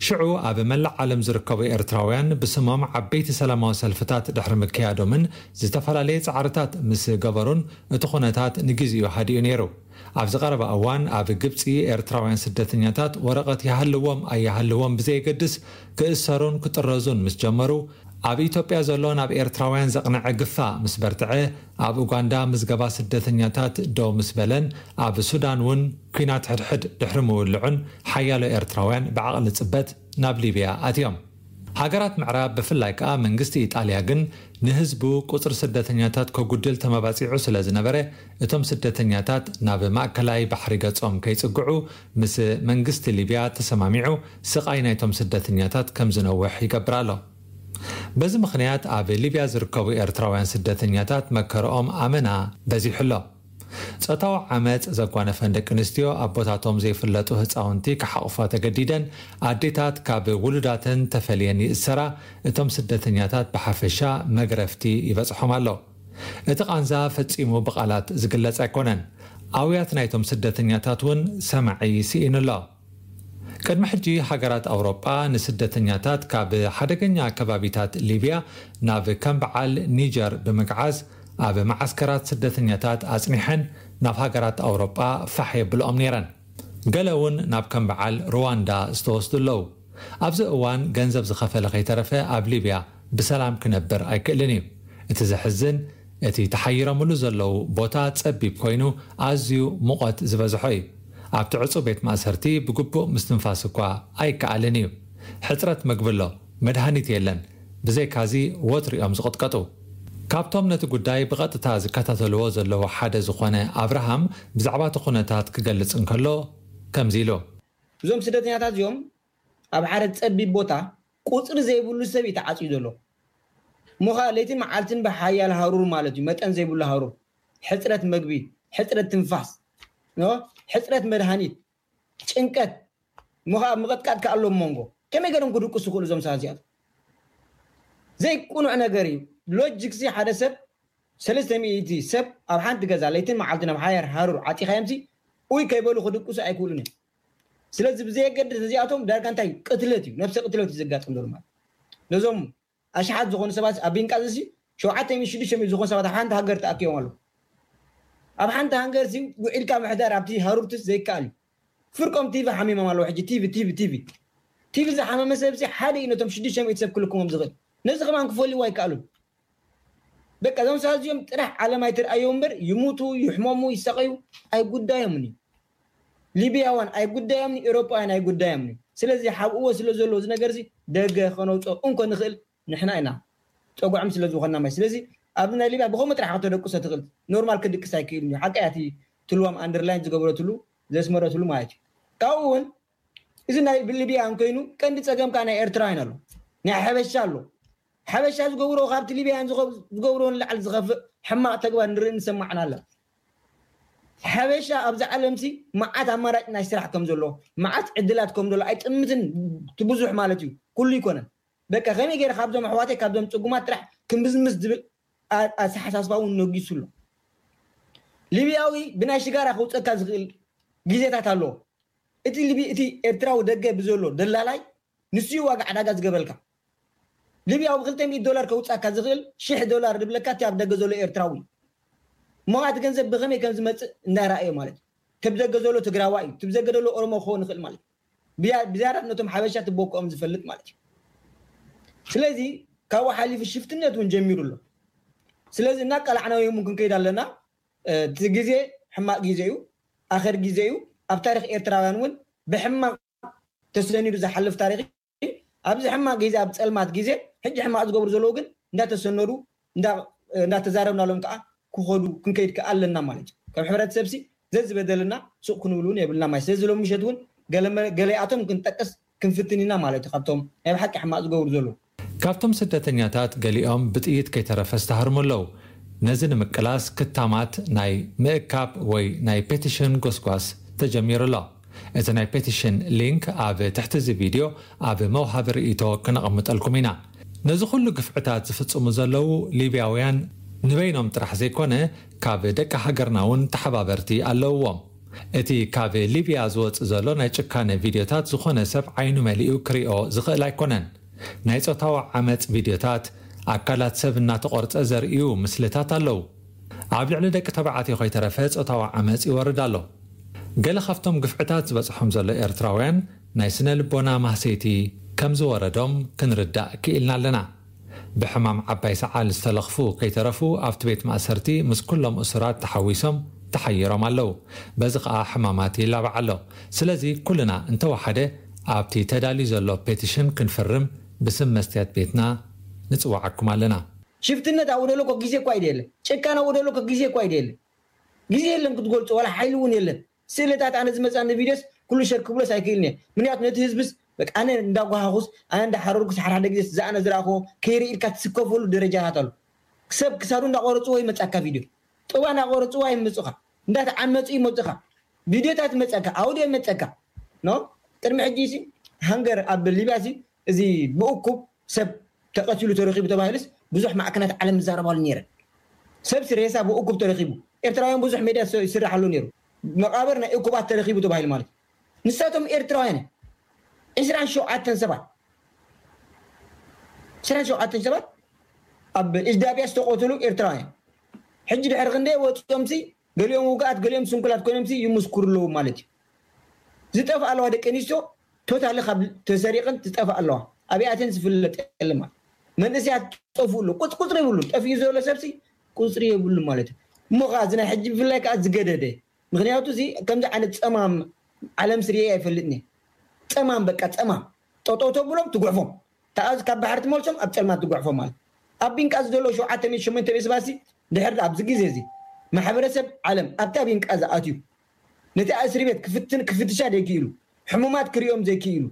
ሽዑ ኣብ መላእ ዓለም ዝርከቡ ኤርትራውያን ብስሞም ዓበይቲ ሰላማዊ ሰልፍታት ድሕሪ ምክያዶምን ዝተፈላለየ ጻዕርታት ምስ ገበሩን፣ እቲ ኩነታት ንግዜኡ ሃዲኡ ነይሩ። ኣብዚ ቀረባ እዋን ኣብ ግብጺ ኤርትራውያን ስደተኛታት ወረቐት ይሃልዎም ኣይሃልዎም ብዘየገድስ ክእሰሩን ክጥረዙን ምስ ጀመሩ፣ ኣብ ኢትዮጵያ ዘሎ ናብ ኤርትራውያን ዘቕነዐ ግፋ ምስ በርትዐ፣ ኣብ ኡጋንዳ ምዝገባ ስደተኛታት ደው ምስ በለን፣ ኣብ ሱዳን እውን ኲናት ሕድሕድ ድሕሪ ምውልዑን ሓያሎ ኤርትራውያን ብዓቕሊ ጽበት ናብ ሊብያ ኣትዮም። ሃገራት ምዕራብ ብፍላይ ከኣ መንግስቲ ኢጣልያ ግን ንህዝቡ ቁጽሪ ስደተኛታት ከጉድል ተመባጺዑ ስለ ዝነበረ፣ እቶም ስደተኛታት ናብ ማእከላይ ባሕሪ ገጾም ከይጽግዑ ምስ መንግስቲ ሊብያ ተሰማሚዑ ስቓይ ናይቶም ስደተኛታት ከም ዝነውሕ ይገብር ኣሎ። በዚ ምኽንያት ኣብ ሊብያ ዝርከቡ ኤርትራውያን ስደተኛታት መከርኦም ኣመና በዚሑ ኣሎ። ጾታዊ ዓመጽ ዘጓነፈን ደቂ ኣንስትዮ ኣቦታቶም ዘይፍለጡ ህጻውንቲ ክሓቑፋ ተገዲደን፣ ኣዴታት ካብ ውሉዳተን ተፈልየን ይእሰራ፣ እቶም ስደተኛታት ብሓፈሻ መግረፍቲ ይበጽሖም ኣሎ። እቲ ቃንዛ ፈጺሙ ብቓላት ዝግለጽ ኣይኮነን። ኣውያት ናይቶም ስደተኛታት እውን ሰማዒ ስኢኑ ኣሎ። ቅድሚ ሕጂ ሃገራት ኣውሮጳ ንስደተኛታት ካብ ሓደገኛ ከባቢታት ሊብያ ናብ ከም በዓል ኒጀር ብምግዓዝ ኣብ መዓስከራት ስደተኛታት ኣጽኒሐን ናብ ሃገራት ኣውሮጳ ፋሕ የብልኦም ነይረን። ገለ እውን ናብ ከም በዓል ሩዋንዳ ዝተወስዱ ኣለዉ። ኣብዚ እዋን ገንዘብ ዝኸፈለ ከይተረፈ ኣብ ሊብያ ብሰላም ክነብር ኣይክእልን እዩ። እቲ ዘሕዝን፣ እቲ ተሓይሮምሉ ዘለዉ ቦታ ጸቢብ ኮይኑ ኣዝዩ ሙቐት ዝበዝሖ እዩ። ኣብቲ ዕጹው ቤት ማእሰርቲ ብግቡእ ምስትንፋስ እኳ ኣይከኣልን እዩ። ሕጽረት መግቢ ኣሎ፣ መድሃኒት የለን። ብዘይካዚ ወትሩ እዮም ዝቕጥቀጡ። ካብቶም ነቲ ጉዳይ ብቐጥታ ዝከታተልዎ ዘለዉ ሓደ ዝኾነ ኣብርሃም ብዛዕባ እቲ ኩነታት ክገልጽ እንከሎ ከምዚ ኢሉ። እዞም ስደተኛታት እዚኦም ኣብ ሓደ ጸቢብ ቦታ ቁጽሪ ዘይብሉ ሰብ እዩ ተዓጽዩ ዘሎ። እሞ ኸኣ ለይትን መዓልትን ብሓያል ሃሩር ማለት እዩ፣ መጠን ዘይብሉ ሃሩር፣ ሕጽረት መግቢ፣ ሕጽረት ትንፋስ፣ ኖ? ሕጽረት መድሃኒት፣ ጭንቀት፣ እሞ ኸኣ ምቕጥቃጥ ከኣ ኣሎ ኣብ መንጎ። ከመይ ገይሮም ክድቅሱ ይኽእሉ እዞም ሰባት እዚኣቶም? ዘይቅኑዕ ነገር እዩ። ሎጂክሲ ሓደ ሰብ፣ ሰለስተ ሚእቲ ሰብ ኣብ ሓንቲ ገዛ ለይትን መዓልትን ኣብ ሓያል ሃሩር ዓጺኻዮምሲ፣ ኡይ ከይበሉ ክድቅሱ ኣይክእሉን እዮም። ስለዚ ብዘየገድስ እዚኣቶም ዳርጋ እንታይ ቅትለት እዩ፣ ነብሰ ቅትለት እዩ ዘጋጥም ዘሎ ማለት። ነዞም ኣሽሓት ዝኾኑ ሰባት ኣብ ቤንቃዚ ሲ ሸውዓተ ሚእቲ ሽዱሽተ ሚእቲ ዝኾኑ ሰባት ኣብ ሓንቲ ሃገር ተኣኪቦም ኣለዉ። ኣብ ሓንቲ ሃገር ሲ ውዒልካ ምሕዳር ኣብቲ ሃሩርትስ ዘይከኣል እዩ። ፍርቆም ቲቪ ሓሚሞም ኣለዉ። ሕጂ ቲቪ፣ ቲቪ፣ ቲቪ። ቲቪ ዝሓመመ ሰብ ሲ ሓደ እዩ ነቶም ሽዱሽተ ሚእቲ ሰብ ክልክሞም ዝኽእል። ነዚ ከማን ክፈልይዎ ኣይከኣሉን። በቃ እዞም ሰባት እዚኦም ጥራሕ ዓለም ኣይትርኣዮም እምበር ይሙቱ፣ ይሕመሙ፣ ይሳቐዩ ኣይጉዳዮምን እዩ። ሊብያውያን ኣይጉዳዮምን እዩ፣ ኤውሮጳውያን ኣይጉዳዮምን እዩ። ስለዚ ሓብእዎ ስለ ዘሎ እዚ ነገር እዚ ደገ ከነውፅኦ እንኮ ንኽእል ንሕና ኢና። ፀጉዖም ስለ ዝኾንና ማለት። ስለዚ ኣብዚ ናይ ሊብያ ብኸምኡ ጥራሕ ከተደቅሶ ትኽእል። ኖርማል ክድቅስ ኣይክእልን እዩ። ሓቀይ እቲ ትልዋም ኣንደርላይን ዝገበረትሉ ዘስመረትሉ ማለት እዩ። ካብኡ እውን እዚ ናይ ሊብያ እንኮይኑ ቀንዲ ፀገም ከዓ ናይ ኤርትራውያን ኣሎ። ናይ ሓበሻ ኣሎ። ሓበሻ ዝገብሮ ካብቲ ሊብያን ዝኸ- ዝገብሮ ንላዕሊ ዝኸፍእ ሕማቕ ተግባር ንርኢ ንሰማዕን ኣለ። ሓበሻ ኣብዚ ዓለምሲ መዓት ኣማራጭ ናይ ስራሕ ከም ዘሎ፣ መዓት ዕድላት ከም ዘሎ ኣይጥምትን። እቲ ብዙሕ ማለት እዩ፣ ኩሉ ይኮነን። በቃ ከመይ ገይረ ካብዞም ኣሕዋተይ ካብዞም ጽጉማት ጥራሕ ክምዝምዝ ዝብል ኣ- ኣተሓሳስባ እውን ነጊሱ ኣሎ። ሊብያዊ ብናይ ሽጋራ ከውፀካ ዝኽእል ግዜታት ኣለዎ። እቲ ሊቢ እቲ ኤርትራዊ ደገ ብዘሎ ደላላይ ንሱ እዩ ዋጋ ዕዳጋ ዝገብረልካ። ሊብያዊ ብክልተ ሚእቲ ዶላር ከውፃካ ዝኽእል ሽሕ ዶላር ዝብለካ እቲ ኣብ ደገ ዘሎ ኤርትራዊ እዩ። እሞ እቲ ገንዘብ ብኸመይ ከም ዝመፅእ እንዳረኣዮ ማለት እዩ። እቲ ብደገ ዘሎ ትግራዋይ እዩ፣ እቲ ብደገ ዘሎ ኦሮሞ ክኸውን ይኽእል ማለት እዩ። ብያ- ብዝያዳት ነቶም ሓበሻ ትቦክኦም ዝፈልጥ ማለት እዩ። ስለዚ ካብኡ ሓሊፉ ሽፍትነት እውን ጀሚሩ ኣሎ። ስለዚ እናቀላዕናዮ እውን ክንከይድ ኣለና። እቲ ግዜ ሕማቕ ግዜ እዩ፣ ኣኸር ግዜ እዩ። ኣብ ታሪክ ኤርትራውያን እውን ብሕማቕ ተሰኒዱ ዝሓልፍ ታሪክ እዩ። ኣብዚ ሕማቕ ግዜ፣ ኣብ ጸልማት ግዜ፣ ሕጂ ሕማቕ ዝገብሩ ዘለዉ ግን እንዳተሰነዱ፣ እንዳ-፣ እንዳተዛረብናሎም ከዓ ክኸዱ፣ ክንከይድ ከዓ ኣለና ማለት እዩ። ከም ሕብረተሰብሲ ዘዝበደልና ሱቕ ክንብል እውን የብልና ማለት። ስለዚ ሎም ምሸት እውን ገለ መ-፣ ገለኣቶም ክንጠቅስ ክንፍትን ኢና ማለት እዩ፣ ካብቶም ናይ ብሓቂ ሕማቕ ዝገብሩ ዘለዉ። ካብቶም ስደተኛታት ገሊኦም ብጥይት ከይተረፈ ዝተሃርሙ ኣለዉ። ነዚ ንምቅላስ ክታማት ናይ ምእካብ ወይ ናይ ፔቲሽን ጎስጓስ ተጀሚሩ ኣሎ። እቲ ናይ ፔቲሽን ሊንክ ኣብ ትሕቲ እዚ ቪድዮ ኣብ መውሃቢ ርእይቶ ክነቐምጠልኩም ኢና። ነዚ ኩሉ ግፍዕታት ዝፍጽሙ ዘለዉ ሊብያውያን ንበይኖም ጥራሕ ዘይኮነ፣ ካብ ደቂ ሃገርና እውን ተሓባበርቲ ኣለውዎም። እቲ ካብ ሊብያ ዝወጽእ ዘሎ ናይ ጭካነ ቪድዮታት ዝኾነ ሰብ ዓይኑ መሊኡ ክሪኦ ዝኽእል ኣይኮነን። ናይ ጾታዊ ዓመጽ ቪድዮታት፣ ኣካላት ሰብ እናተቖርጸ ዘርእዩ ምስልታት ኣለዉ። ኣብ ልዕሊ ደቂ ተባዕትዮ ከይተረፈ ጾታዊ ዓመጽ ይወርድ ኣሎ። ገለ ካብቶም ግፍዕታት ዝበጽሖም ዘሎ ኤርትራውያን ናይ ስነ ልቦና ማህሰይቲ ከም ዝወረዶም ክንርዳእ ክኢልና ኣለና። ብሕማም ዓባይ ሰዓል ዝተለኽፉ ከይተረፉ ኣብቲ ቤት ማእሰርቲ ምስ ኩሎም እሱራት ተሓዊሶም ተሓይሮም ኣለዉ። በዚ ኸኣ ሕማማት ይላባዕ ኣሎ። ስለዚ ኩልና እንተወሓደ ኣብቲ ተዳልዩ ዘሎ ፔቲሽን ክንፍርም ብስም መስትያት ቤትና ንጽውዓኩም ኣለና። ሽፍትነት ኣብኡ ደሎ እኮ ግዜ እኳ ይደለ፣ ጭካን ኣብኡ ደሎ እኮ ግዜ እኳ ይደለ። ግዜ የለን ክትገልጾ፣ ዋላ ሓይሊ እውን የለን። ስእልታት ኣነ ዝመጻኒ ቪድዮስ ኩሉ ሸር ክብሎስ ኣይክእልን እየ። ምክንያቱ ነቲ ህዝብስ በቃ ኣነ እንዳጓሃኹስ፣ ኣነ እንዳሓረርኩስ፣ ሓደ ሓደ ግዜስ ዝኣነ ዝረኣኹዎ ከይርኢ ኢልካ ትስከፈሉ ደረጃታት ኣሎ። ሰብ ክሳዱ እንዳቆረጽዎ ይመጻካ ቪድዮ። ጥባ እንዳቆረጽዎ ይመጹኻ። እንዳተዓመጹ ይመጹኻ። ቪድዮታት ይመጸካ፣ ኣውዲዮ ይመጸካ። ኖ? ቅድሚ ሕጂ ሲ ሃንገር ኣብ ሊብያ ሲ እዚ ብእኩብ ሰብ ተቐቲሉ ተረኺቡ ተባሂሉስ ብዙሕ ማዕከናት ዓለም ይዛረባሉ ነይረን። ሰብሲ ሬሳ ብእኩብ ተረኺቡ። ኤርትራውያን ብዙሕ ሜድያ ስ-፣ ይስራሕ ኣሎ ነይሩ። መቓብር ናይ እኩባት ተረኺቡ ተባሂሉ ማለት እዩ። ንሳቶም ኤርትራውያን እዮም። ዕስራን ሸውዓተን ሰባት፣ ዕስራን ሸውዓተን ሰባት ኣብ ኢጅዳብያ ዝተቐተሉ ኤርትራውያን። ሕጂ ድሕሪ ክንደይ ወፂኦምሲ፣ ገሊኦም ውጉኣት፣ ገሊኦም ስንኩላት ኮይኖምሲ ይምስክሩ ኣለዉ ማለት እዩ። ዝጠፍኣ ኣለዋ ደቂ ኣንስትዮ፣ ቶታሊ ካብ ተሰሪቐን ዝጠፍኣ ኣለዋ። ኣብኣተን ዝፍለጥ የለን ማለት። መንእሰያት ጠፍኡ ኣሎ። ቁጽ-፣ ቁጽሪ የብሉን። ጠፊኡ ዘሎ ሰብሲ ቁጽሪ የብሉን ማለት እዩ። እሞ ኸዓ እዚ ናይ ሕጂ ብፍላይ ከኣ ዝገደደ። ምኽንያቱ እዚ ከምዚ ዓይነት ጸማም ዓለም ስርኤ ኣይፈልጥን እየ። ጸማም፣ በቃ ጸማም። ጠጠው ተብሎም ትጉሕፎም። ተኣዝ ካብ ባሕሪ ትመልሶም፣ ኣብ ጸልማት ትጉሕፎም ማለት። ኣብ ቢንቃ ዘሎ ሸውዓተ ሚእቲ ሸሞንተ ሚእቲ ሰባሲ ድሕሪ ኣብዚ ግዜ እዚ ማሕበረሰብ ዓለም ኣብታ ቢንቃ ዝኣትዩ፣ ነቲ እስሪ ቤት ክፍትን-፣ ክፍትሻ ዘይክኢሉ፣ ሕሙማት ክርእዮም ዘይክኢሉ፣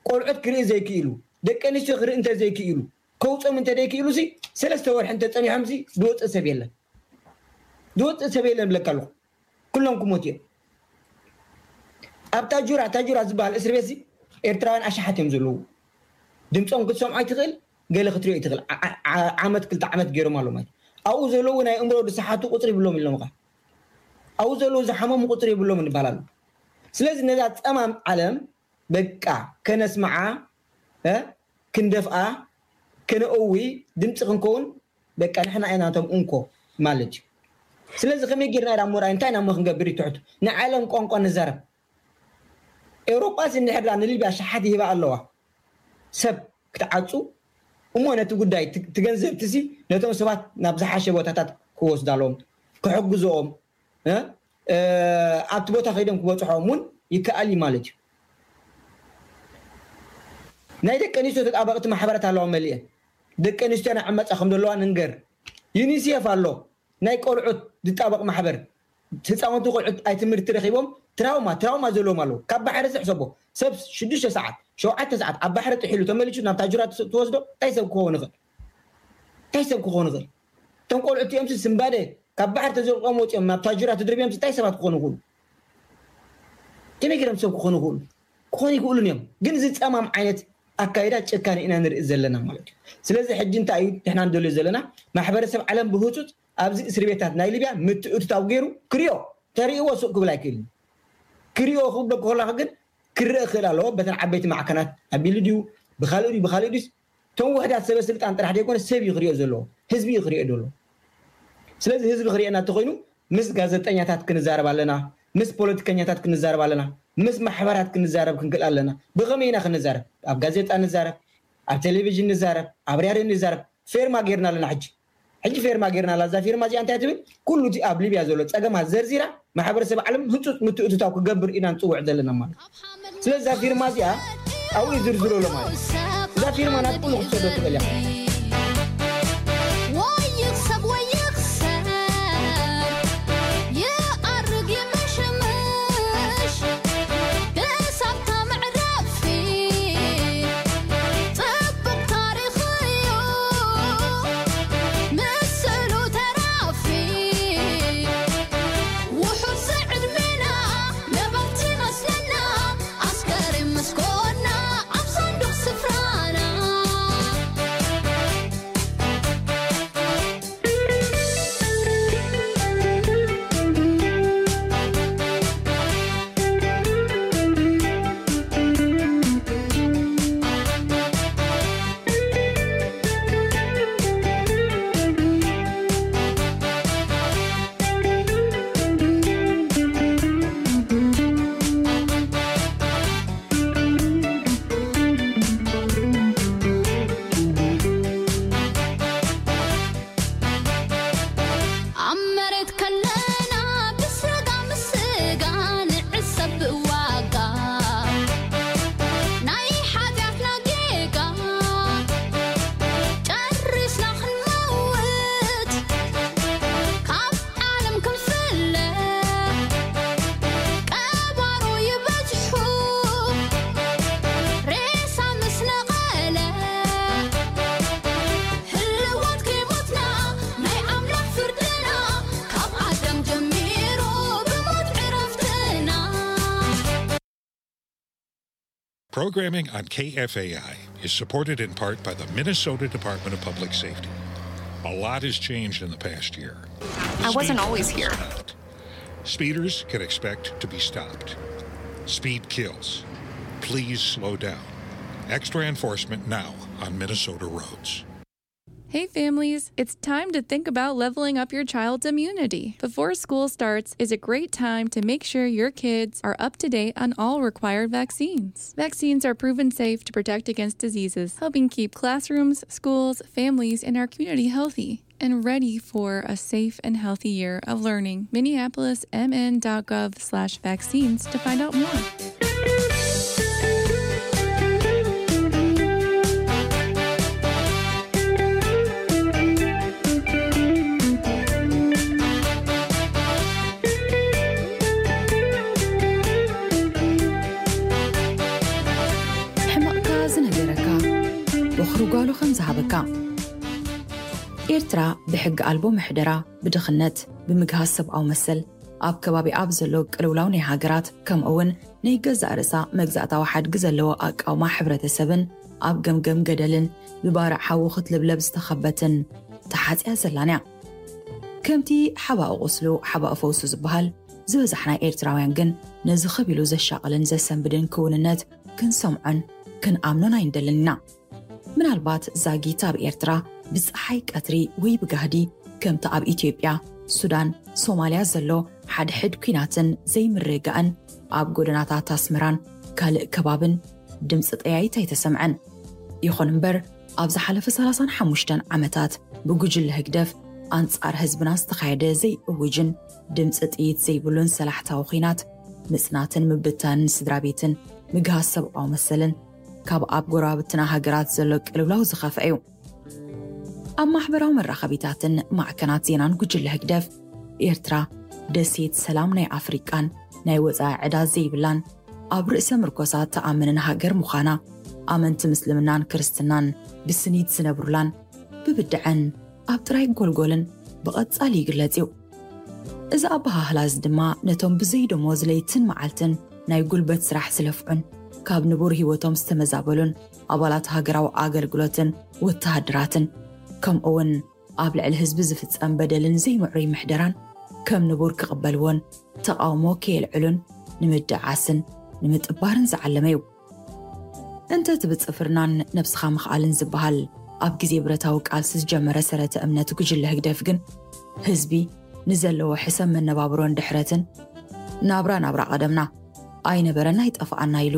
ቆልዑት ክርኢ ዘይክኢሉ፣ ደቂ ኣንስትዮ ክርኢ እንተ ዘይክኢሉ፣ ከውፅኦም እንተ ዘይክኢሉ ሲ ሰለስተ ወርሒ እንተ ጸኒሖም ሲ ዝወፅእ ሰብ የለን። ዝወፅእ ሰብ የለን ብለካ ኣለኹ። ኩሎም ክሞቱ እዮም። ኣብ ታጁራ፣ ታጁራ ዝበሃል እስሪ ቤት ሲ ኤርትራውያን ኣሽሓት እዮም ዘለዉ። ድምፆም ክትሰምዖ ኣይትኽእል፣ ገለ ክትሪኦ ኣይትኽእል። ዓ-፣ ዓ-፣ ዓመት ክልተ ዓመት ገይሮም ኣለዉ ማለት እዩ። ኣብኡ ዘለዉ ናይ እምሮ ዝሰሓቱ ቁፅሪ ይብሎም ኢሎም ኸ። ኣብኡ ዘለዉ ዝሓመሙ ቁፅሪ ይብሎም ይበሃል ኣሎ። ስለዚ ነዛ ጸማም ዓለም በቃ ከነስምዓ፣ እ፣ ክንደፍኣ፣ ከነእዊ፣ ድምፂ ክንከውን በቃ ንሕና ኢና እቶም እንኮ ማለት እዩ። ስለዚ ከመይ ጌርና ኢና እሞ ርኣይ፣ እንታይ ኢና እሞ ክንገብር እዩ ትሕቱ? ንዓለም ቋንቋ ንዛረብ። ኤውሮጳ ሲ እንድሕር ደኣ ንሊብያ ሸሓት ይህባ ኣለዋ። ሰብ ክትዓጹ እሞ ነቲ ጉዳይ ት-፣ ትገንዘብቲ ሲ ነቶም ሰባት ናብ ዝሓሸ ቦታታት ክወስዳሎም፣ ክሕግዝኦም፣ እ፣ እ፣ ኣብቲ ቦታ ከይዶም ክበጽሖም እውን ይከኣል እዩ ማለት እዩ። ናይ ደቂ ኣንስትዮ ተጣበቕቲ ማሕበራት ኣለዋ መሊአን። ደቂ ኣንስትዮ ናይ ዕመጻ ከም ዘለዋ ንንገር። ዩኒሴፍ ኣሎ፣ ናይ ቆልዑት ዝጣበቕ ማሕበር። ህፃውንቲ ቆልዑት ኣይ ትምህርቲ ረኺቦም ትራውማ፣ ትራውማ ዘለዎም ኣለዉ። ካብ ባሕሪ ዝሕሰቦ ሰብ ሽዱሽተ ሰዓት፣ ሸውዓተ ሰዓት ኣብ ባሕሪ ጥሒሉ ተመሊሱ ናብ ታጁራ ትስ-፣ ትወስዶ እንታይ ሰብ ክኸውን ይኽእል? እንታይ ሰብ ክኸውን ይኽእል? እቶም ቆልዑት እቲኦም ሲ ስምባደ ካብ ባሕሪ ተዘልቆም ወፂኦም ናብ ታጁራ ትድርብዮም ሲ እንታይ ሰባት ክኾኑ ይኽእሉ? ከመይ ገይሮም ሰብ ክኾኑ ይኽእሉ? ክኾኑ ይኽእሉን እዮም። ግን እዚ ጸማም ዓይነት ኣካይዳ ጭካኔ ኢና ንርኢ ዘለና ማለት እዩ። ስለዚ ሕጂ እንታይ እዩ ንሕና ንደልዮ ዘለና? ማሕበረሰብ ዓለም ብህጹጽ ኣብዚ እስሪ ቤታት ናይ ሊብያ ምትእትታው ገይሩ ክሪኦ፣ ተርእይዎ ሱቕ ክብል ኣይክእልን። ክሪኦ ክብለኩ ከለኹ ግን ክረአ ክእል ኣለዎ። በተን ዓበይቲ ማዕከናት ኣቢሉ ድዩ፣ ብኻልእ ድዩ፣ ብኻልእ ድዩስ፣ እቶም ውሕዳት ሰበ ስልጣን ጥራሕ ዘይኮነ ሰብ እዩ ክሪኦ ዘለዎ፣ ህዝቢ እዩ ክሪኦ ዘለዎ። ስለዚ ህዝቢ ክሪኤና እንተኾይኑ ምስ ጋዜጠኛታት ክንዛረብ ኣለና፣ ምስ ፖለቲከኛታት ክንዛረብ ኣለና፣ ምስ ማሕበራት ክንዛረብ ክንክእል ኣለና። ብኸመይ ኢና ክንዛረብ? ኣብ ጋዜጣ ንዛረብ፣ ኣብ ቴሌቪዥን ንዛረብ፣ ኣብ ራድዮ ንዛረብ። ፌርማ ጌርና ኣለና። ሕጂ ሕጂ ፌርማ ጌርና ኣላ። እዛ ፌርማ እዚኣ እንታይ ትብል? ኩሉ እቲ ኣብ ሊብያ ዘሎ ጸገማት ዘርዚራ፣ ማሕበረሰብ ዓለም ህጹጽ ምትእትታው ክገብር ኢና ንጽውዕ ዘለና ማለት። ስለዚ እዛ ፊርማ እዚኣ ኣብኡ ዝርዝሮ ኣሎ ማለት። እዛ ፊርማ ናብ ኩሉ ክትሰዶ ትኽእል እያ። ወይ ይኽሰብ ወይ ይኽሰር፣ ይኣርግ ይምሽምሽ፣ ክሳብታ መዕረፊ ጽቡቕ ታሪኽ እዩ፣ ምስሉ ተራፊ። ውሑድ ዝዕድሜና ነበርቲ መስለና፣ ኣስከሬን ምስ ኮና ኣብ ሳንዱቕ ስፍራና። ኣብ መሬት ከለና ብስጋ ምስጋ ንዕሰብ ብዋጋ ናይ ሓጢኣትና ጌጋ ጨሪስና ክንመውት ካብ ዓለም ክንፍለ ቀባሮ ይበዝሑ ሬሳ ምስ ነቐለ ህልዋት ከይሞትና ናይ ኣምላኽ ፍርድና ካብ ኣዳም ጀሚሩ ብሞት ዕረፍትና። Programming on K F A I is supported in part by the Minnesota Department of Public Safety. A lot has changed in the past year. I wasn't always here. Speeders can expect to be stopped. Speed kills. Please slow down. Extra enforcement now on Minnesota roads. Hey families, it's time to think about leveling up your child's immunity. Before school starts is a great time to make sure your kids are up to date on all required vaccines. Vaccines are proven safe to protect against diseases, helping keep classrooms, schools, families, and our community healthy and ready for a safe and healthy year of learning. Minneapolis M N dot gov slash vaccines to find out more. ሕመቕካ ዝነገረካ ወኽሪ ጓሉ ከም ዝሃበካ። ኤርትራ ብሕጊ ኣልቦ ምሕደራ፣ ብድኽነት፣ ብምግሃስ ሰብኣዊ መሰል፣ ኣብ ከባቢ ኣብ ዘሎ ቅልውላው ናይ ሃገራት፣ ከምኡ እውን ናይ ገዛእ ርእሳ መግዛእታዊ ሓድጊ ዘለዎ ኣቃውማ ሕብረተሰብን ኣብ ገምገም ገደልን ብባርዕ ሓዊ ክትልብለብ ዝተኸበትን ተሓጽያ ዘላን እያ። ከምቲ ሓባእ ቁስሉ ሓባእ ፈውሱ ዝበሃል፣ ዝበዛሕና ኤርትራውያን ግን ነዚ ከቢሉ ዘሻቕልን ዘሰንብድን ክውንነት ክንሰምዖን ክንኣምኖን ኣይንደልን ኢና። ምናልባት ዛጊት ኣብ ኤርትራ ብጸሓይ ቀትሪ ወይ ብጋህዲ ከምቲ ኣብ ኢትዮጵያ፣ ሱዳን፣ ሶማልያ ዘሎ ሓድሕድ ኲናትን ዘይምርግጋእን ኣብ ጎደናታት ኣስመራን ካልእ ከባብን ድምጺ ጠያይት ኣይተሰምዐን። ይኹን እምበር ኣብ ዝሓለፈ ሰላሳን ሓሙሽተን ዓመታት ብጉጅለ ህግደፍ ኣንጻር ህዝብና ዝተኻየደ ዘይእውጅን ድምጺ ጥይት ዘይብሉን ሰላሕታዊ ኲናት ምጽናትን ምብታንን ስድራ ቤትን ምግሃስ ሰብኣዊ መሰልን ካብ ኣብ ጎረባብትና ሃገራት ዘሎ ቅልውላው ዝኸፍአ እዩ። ኣብ ማሕበራዊ መራኸቢታትን ማዕከናት ዜናን ጉጅለ ህግደፍ፣ ኤርትራ ደሴት ሰላም ናይ ኣፍሪቃን ናይ ወጻኢ ዕዳ ዘይብላን ኣብ ርእሰ ምርኮሳ ትኣምንን ሃገር ምዃና፣ ኣመንቲ ምስልምናን ክርስትናን ብስኒት ዝነብሩላን ብብድዐን ኣብ ጥራይ ጎልጎልን ብቐጻሊ ይግለጽ እዩ። እዚ ኣበሃህላ እዚ ድማ ነቶም ብዘይ ደሞዝ ለይትን መዓልትን ናይ ጉልበት ስራሕ ዝለፍዑን ካብ ንቡር ህይወቶም ዝተመዛበሉን ኣባላት ሃገራዊ ኣገልግሎትን ወተሃደራትን ከምኡ እውን ኣብ ልዕሊ ህዝቢ ዝፍጸም በደልን ዘይምዕሩይ ምሕደራን ከም ንቡር ክቕበልዎን ተቓውሞ ከየልዕሉን ንምድዓስን ንምጥባርን ዝዓለመ እዩ። እንተ እቲ ብጽፍርናን ነብስኻ ምኽኣልን ዝበሃል ኣብ ግዜ ብረታዊ ቃልሲ ዝጀመረ ሰረተ እምነት ጉጅለ ህግደፍ ግን ህዝቢ ንዘለዎ ሕሰም መነባብሮን ድሕረትን ናብራ ናብራ ቀደምና ኣይነበረን ኣይጠፍኣና ኢሉ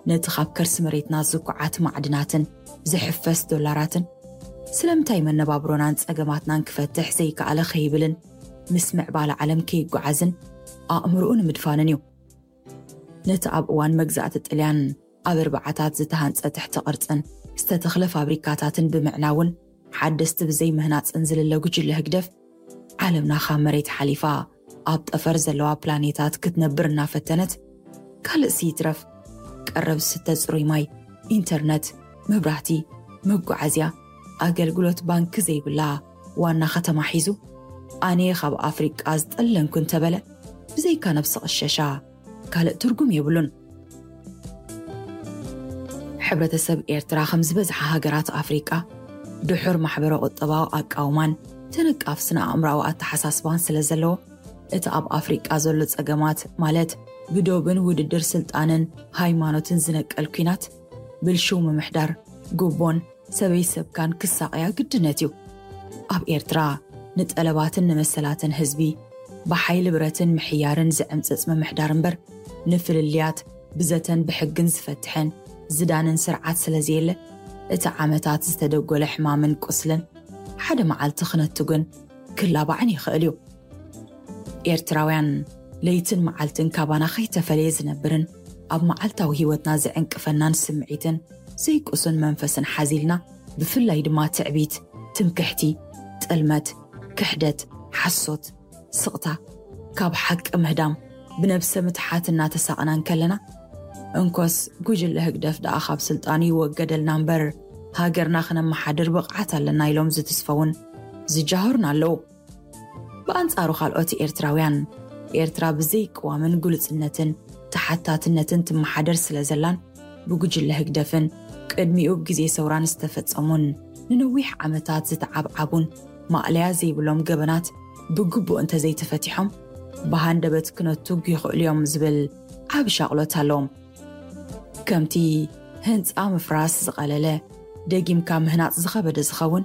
ነቲ ካብ ከርሲ መሬትና ዝኩዓት ማዕድናትን ዝሕፈስ ዶላራትን ስለምንታይ መነባብሮናን ጸገማትናን ክፈትሕ ዘይከኣለ ከይብልን ምስ ምዕባለ ዓለም ከይጓዓዝን ኣእምርኡ ንምድፋንን እዩ። ነቲ ኣብ እዋን መግዛእቲ ጥልያን ኣብ ኣርባዓታት ዝተሃንጸ ትሕቲ ቅርጽን ዝተተኽለ ፋብሪካታትን ብምዕናውን ሓደስቲ ብዘይ ምህናጽን ዝልለ ጉጅለ ህግደፍ ዓለምና ካብ መሬት ሓሊፋ ኣብ ጠፈር ዘለዋ ፕላኔታት ክትነብር እናፈተነት ካልእ ስይትረፍ ቀረብ ዝስተ ጽሩይ ማይ፣ ኢንተርነት፣ መብራህቲ፣ መጓዓዝያ፣ ኣገልግሎት ባንኪ ዘይብላ ዋና ከተማ ሒዙ ኣነ ካብ ኣፍሪቃ ዝጠለንኩ እንተበለ ብዘይካ ነብሲ ቅሸሻ ካልእ ትርጉም የብሉን። ሕብረተሰብ ኤርትራ ከም ዝበዝሓ ሃገራት ኣፍሪቃ ድሑር ማሕበረ ቁጠባዊ ኣቃውማን ተነቃፍ ስነ ኣእምራዊ ኣተሓሳስባን ስለ ዘለዎ እቲ ኣብ ኣፍሪቃ ዘሎ ጸገማት ማለት ብዶብን ውድድር ስልጣንን ሃይማኖትን ዝነቀል ኲናት ብልሽው ምምሕዳር ጉቦን ሰበይ ሰብካን ክሳቐያ ግድነት እዩ። ኣብ ኤርትራ ንጠለባትን ንመሰላትን ህዝቢ ብሓይሊ ብረትን ምሕያርን ዝዕምጽጽ ምምሕዳር እምበር ንፍልልያት ብዘተን ብሕግን ዝፈትሐን ዝዳንን ስርዓት ስለ ዘየለ እቲ ዓመታት ዝተደጎለ ሕማምን ቁስልን ሓደ መዓልቲ ክነትጉን ክላባዕን ይኽእል እዩ። ኤርትራውያን ለይትን መዓልትን ካባና ከይተፈለየ ዝነብርን ኣብ መዓልታዊ ህይወትና ዝዕንቅፈናን ስምዒትን ዘይቁሱን መንፈስን ሓዚልና ብፍላይ ድማ ትዕቢት፣ ትምክሕቲ፣ ጥልመት፣ ክሕደት፣ ሓሶት፣ ስቕታ፣ ካብ ሓቂ ምህዳም ብነብሰ ምትሓት እናተሳቕና እንከለና እንኮስ ጉጅለ ህግደፍ ደኣ ካብ ስልጣኑ ይወገደልና እምበር ሃገርና ክነመሓድር ብቕዓት ኣለና ኢሎም ዝትስፈውን ዝጃህሩን ኣለዉ። ብኣንጻሩ ካልኦት ኤርትራውያን ኤርትራ ብዘይ ቅዋምን ግሉጽነትን ተሓታትነትን ትመሓደር ስለ ዘላን ብጉጅለ ህግደፍን ቅድሚኡ ብግዜ ሰውራን ዝተፈጸሙን ንነዊሕ ዓመታት ዝተዓብዓቡን ማእለያ ዘይብሎም ገበናት ብግቡእ እንተዘይተፈቲሖም ብሃንደበት ክነቱግ ይኽእሉ እዮም ዝብል ዓቢ ሻቕሎት ኣለዎም። ከምቲ ህንጻ ምፍራስ ዝቐለለ ደጊምካ ምህናጽ ዝኸበደ ዝኸውን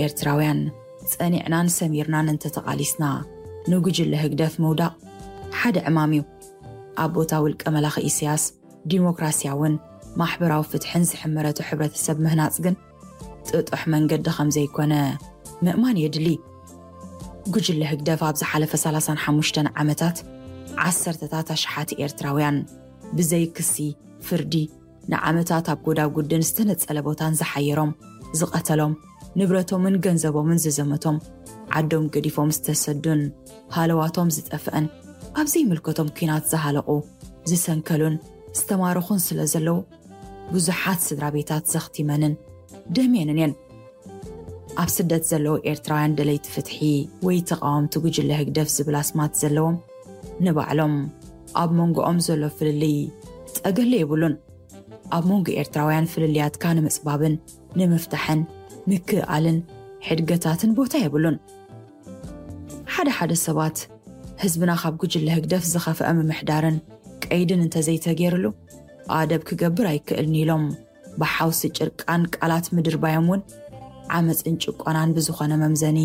ኤርትራውያን ጸኒዕናን ሰሚርናን እንተተቓሊስና ንጉጅለ ህግደፍ ምውዳቕ ሓደ ዕማም እዩ። ኣብ ቦታ ውልቀ መላኺ ኢሳያስ ዲሞክራሲያውን ማሕበራዊ ፍትሕን ዝሕመረቱ ሕብረተሰብ ምህናጽ ግን ጥጡሕ መንገዲ ከም ዘይኮነ ምእማን የድሊ። ጉጅለ ህግደፍ ኣብ ዝሓለፈ ሰላሳን ሓሙሽተን ዓመታት ዓሰርተታት ኣሽሓት ኤርትራውያን ብዘይ ክሲ ፍርዲ ንዓመታት ኣብ ጎዳጉድን ዝተነጸለ ቦታን ዝሓየሮም፣ ዝቐተሎም፣ ንብረቶምን ገንዘቦምን ዝዘመቶም፣ ዓዶም ገዲፎም ዝተሰዱን ሃለዋቶም ዝጠፍአን ኣብ ዘይምልከቶም ኲናት ዝሃለቑ፣ ዝሰንከሉን ዝተማረኹን ስለ ዘለዉ ብዙሓት ስድራ ቤታት ዘኽቲመንን ደምየንን እየን። ኣብ ስደት ዘለዉ ኤርትራውያን ደለይቲ ፍትሒ ወይ ተቓወምቲ ጉጅለ ህግደፍ ዝብል ኣስማት ዘለዎም ንባዕሎም ኣብ መንጎኦም ዘሎ ፍልልይ ጠገለ የብሉን። ኣብ መንጎ ኤርትራውያን ፍልልያትካ ንምጽባብን ንምፍታሕን ምክእኣልን ሕድገታትን ቦታ የብሉን። ሓደ ሓደ ሰባት ህዝብና ካብ ጉጅለ ህግደፍ ዝኸፍአ ምምሕዳርን ቀይድን እንተዘይተገይርሉ ኣደብ ክገብር ኣይክእልን ኢሎም ብሓውሲ ጭርቃን ቃላት ምድርባዮም እውን ዓመፅን ጭቆናን ብዝኾነ መምዘኒ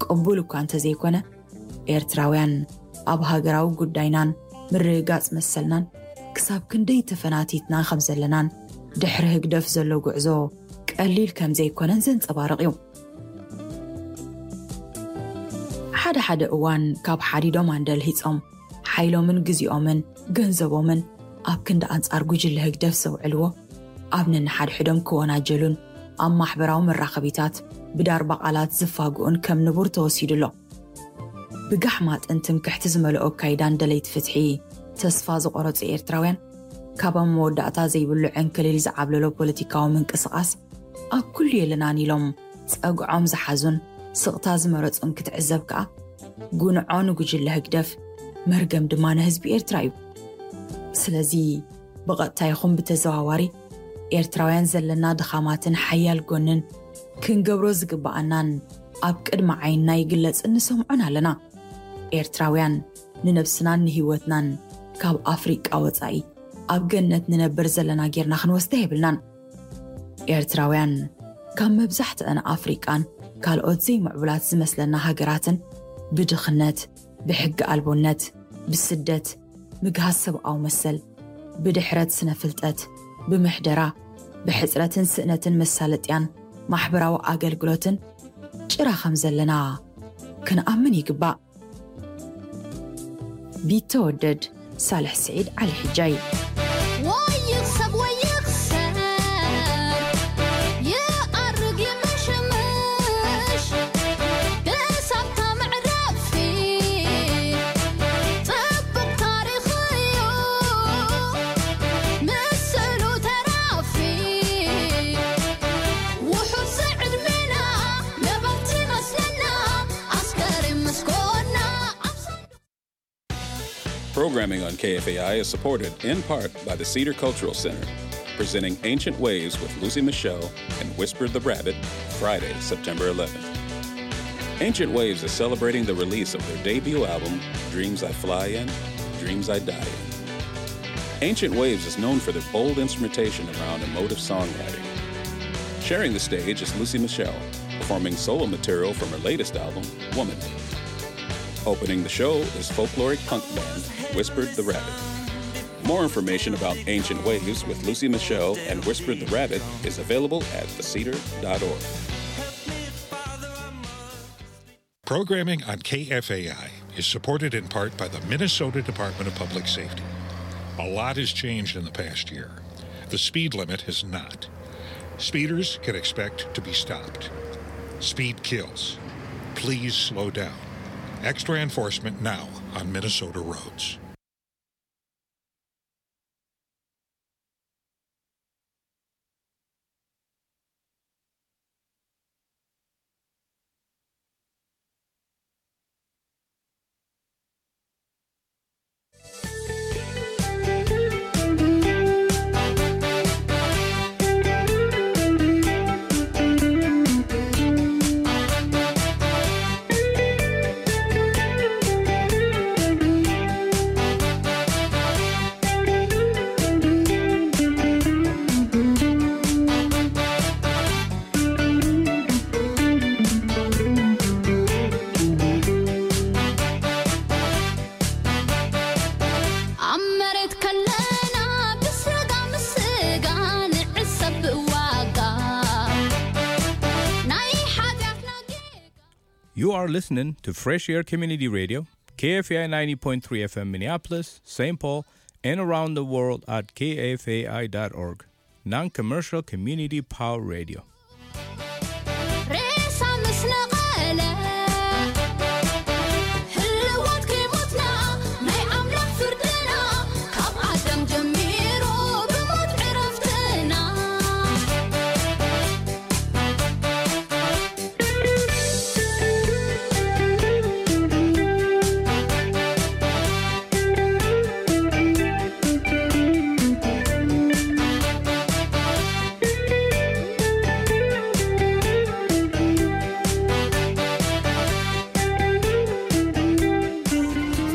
ቅቡል እኳ እንተዘይኮነ ኤርትራውያን ኣብ ሃገራዊ ጉዳይናን ምርግጋፅ መሰልናን ክሳብ ክንደይ ተፈናቲትና ከም ዘለናን ድሕሪ ህግደፍ ዘሎ ጉዕዞ ቀሊል ከም ዘይኮነን ዘንፀባርቕ እዩ። ሓደ ሓደ እዋን ካብ ሓዲዶም ኣንደልሂፆም ሓይሎምን ግዜኦምን ገንዘቦምን ኣብ ክንዲ ኣንጻር ጉጅለ ህግደፍ ዘውዕልዎ ኣብ ነንሓድሕዶም ክወናጀሉን ኣብ ማሕበራዊ መራኸቢታት ብዳርባ ቃላት ዝፋግኡን ከም ንቡር ተወሲዱ ኣሎ። ብጋሕማጥን ትምክሕቲ ዝመልኦ ኣካይዳን ደለይቲ ፍትሒ ተስፋ ዝቆረጹ ኤርትራውያን ካብ ኣብ መወዳእታ ዘይብሉ ዕንክሊል ዝዓብለሎ ፖለቲካዊ ምንቅስቓስ ኣብ ኩሉ የለናን ኢሎም ጸግዖም ዝሓዙን ስቕታ ዝመረጹን ክትዕዘብ ከኣ ጉንዖ ንጉጅለ ህግደፍ መርገም ድማ ንህዝቢ ኤርትራ እዩ። ስለዚ ብቐጥታ ይኹን ብተዘዋዋሪ ኤርትራውያን ዘለና ድኻማትን ሓያል ጎንን ክንገብሮ ዝግብኣናን ኣብ ቅድሚ ዓይንና ይግለጽን ንሰምዖን ኣለና። ኤርትራውያን ንነብስናን ንህይወትናን ካብ ኣፍሪቃ ወጻኢ ኣብ ገነት ንነብር ዘለና ጌርና ክንወስዳ የብልናን። ኤርትራውያን ካብ መብዛሕትአን ኣፍሪቃን ካልኦት ዘይምዕቡላት ዝመስለና ሃገራትን ብድኽነት፣ ብሕጊ ኣልቦነት፣ ብስደት፣ ምግሃስ ሰብኣዊ መሰል፣ ብድሕረት ስነ ፍልጠት፣ ብምሕደራ፣ ብሕጽረትን ስእነትን መሳለጥያን ማሕበራዊ ኣገልግሎትን ጭራ ከም ዘለና ክንኣምን ይግባእ። ቢተወደድ ሳልሕ ስዒድ ዓሊ ሕጃይ። ወይኽ ሰብ ወይኽ ሰብ ይኣርግ ይምሽምሽ ብሳብታ መዕረፊ ጽቡቕ ታሪኽ እዩ ምስሉ ተራፊ ውሑድ ዕድሜና ነበርቲ መስለና ኣስከሬን መስኮና ኣብ ሳንዱቕ Programming on K F A I is supported in part by the Cedar Cultural Center, presenting Ancient Waves with Lucy Michelle and Whispered the Rabbit, Friday, September eleventh. Ancient Waves is celebrating the release of their debut album, Dreams I Fly In, Dreams I Die In. Ancient Waves is known for their bold instrumentation around emotive songwriting. Sharing the stage is Lucy Michelle, performing solo material from her latest album, Woman. Opening the show is folkloric punk band Whispered the Rabbit. More information about Ancient Waves with Lucy Michelle and Whispered the Rabbit is available at the cedar dot org. Programming on K F A I is supported in part by the Minnesota Department of Public Safety. A lot has changed in the past year. The speed limit has not. Speeders can expect to be stopped. Speed kills. Please slow down. Extra enforcement now on Minnesota roads. ኣብ መሬት ከለና ብስጋ ምስ ስጋ ንዕሰብ ብዋጋ ናይ ሓጢኣትና ጌጋ። You are listening to Fresh Air Community Radio, K F A I ninety point three F M Minneapolis, Saint Paul, and around the world at K F A I dot org. Non-commercial community power radio. ሬሳ ምስ ነቐለ ህልዋት ከይሞትና ናይ ኣምላኽ ፍርድና ካብ ኣዳም ጀሚሩ ብሞት ዕረፍትና።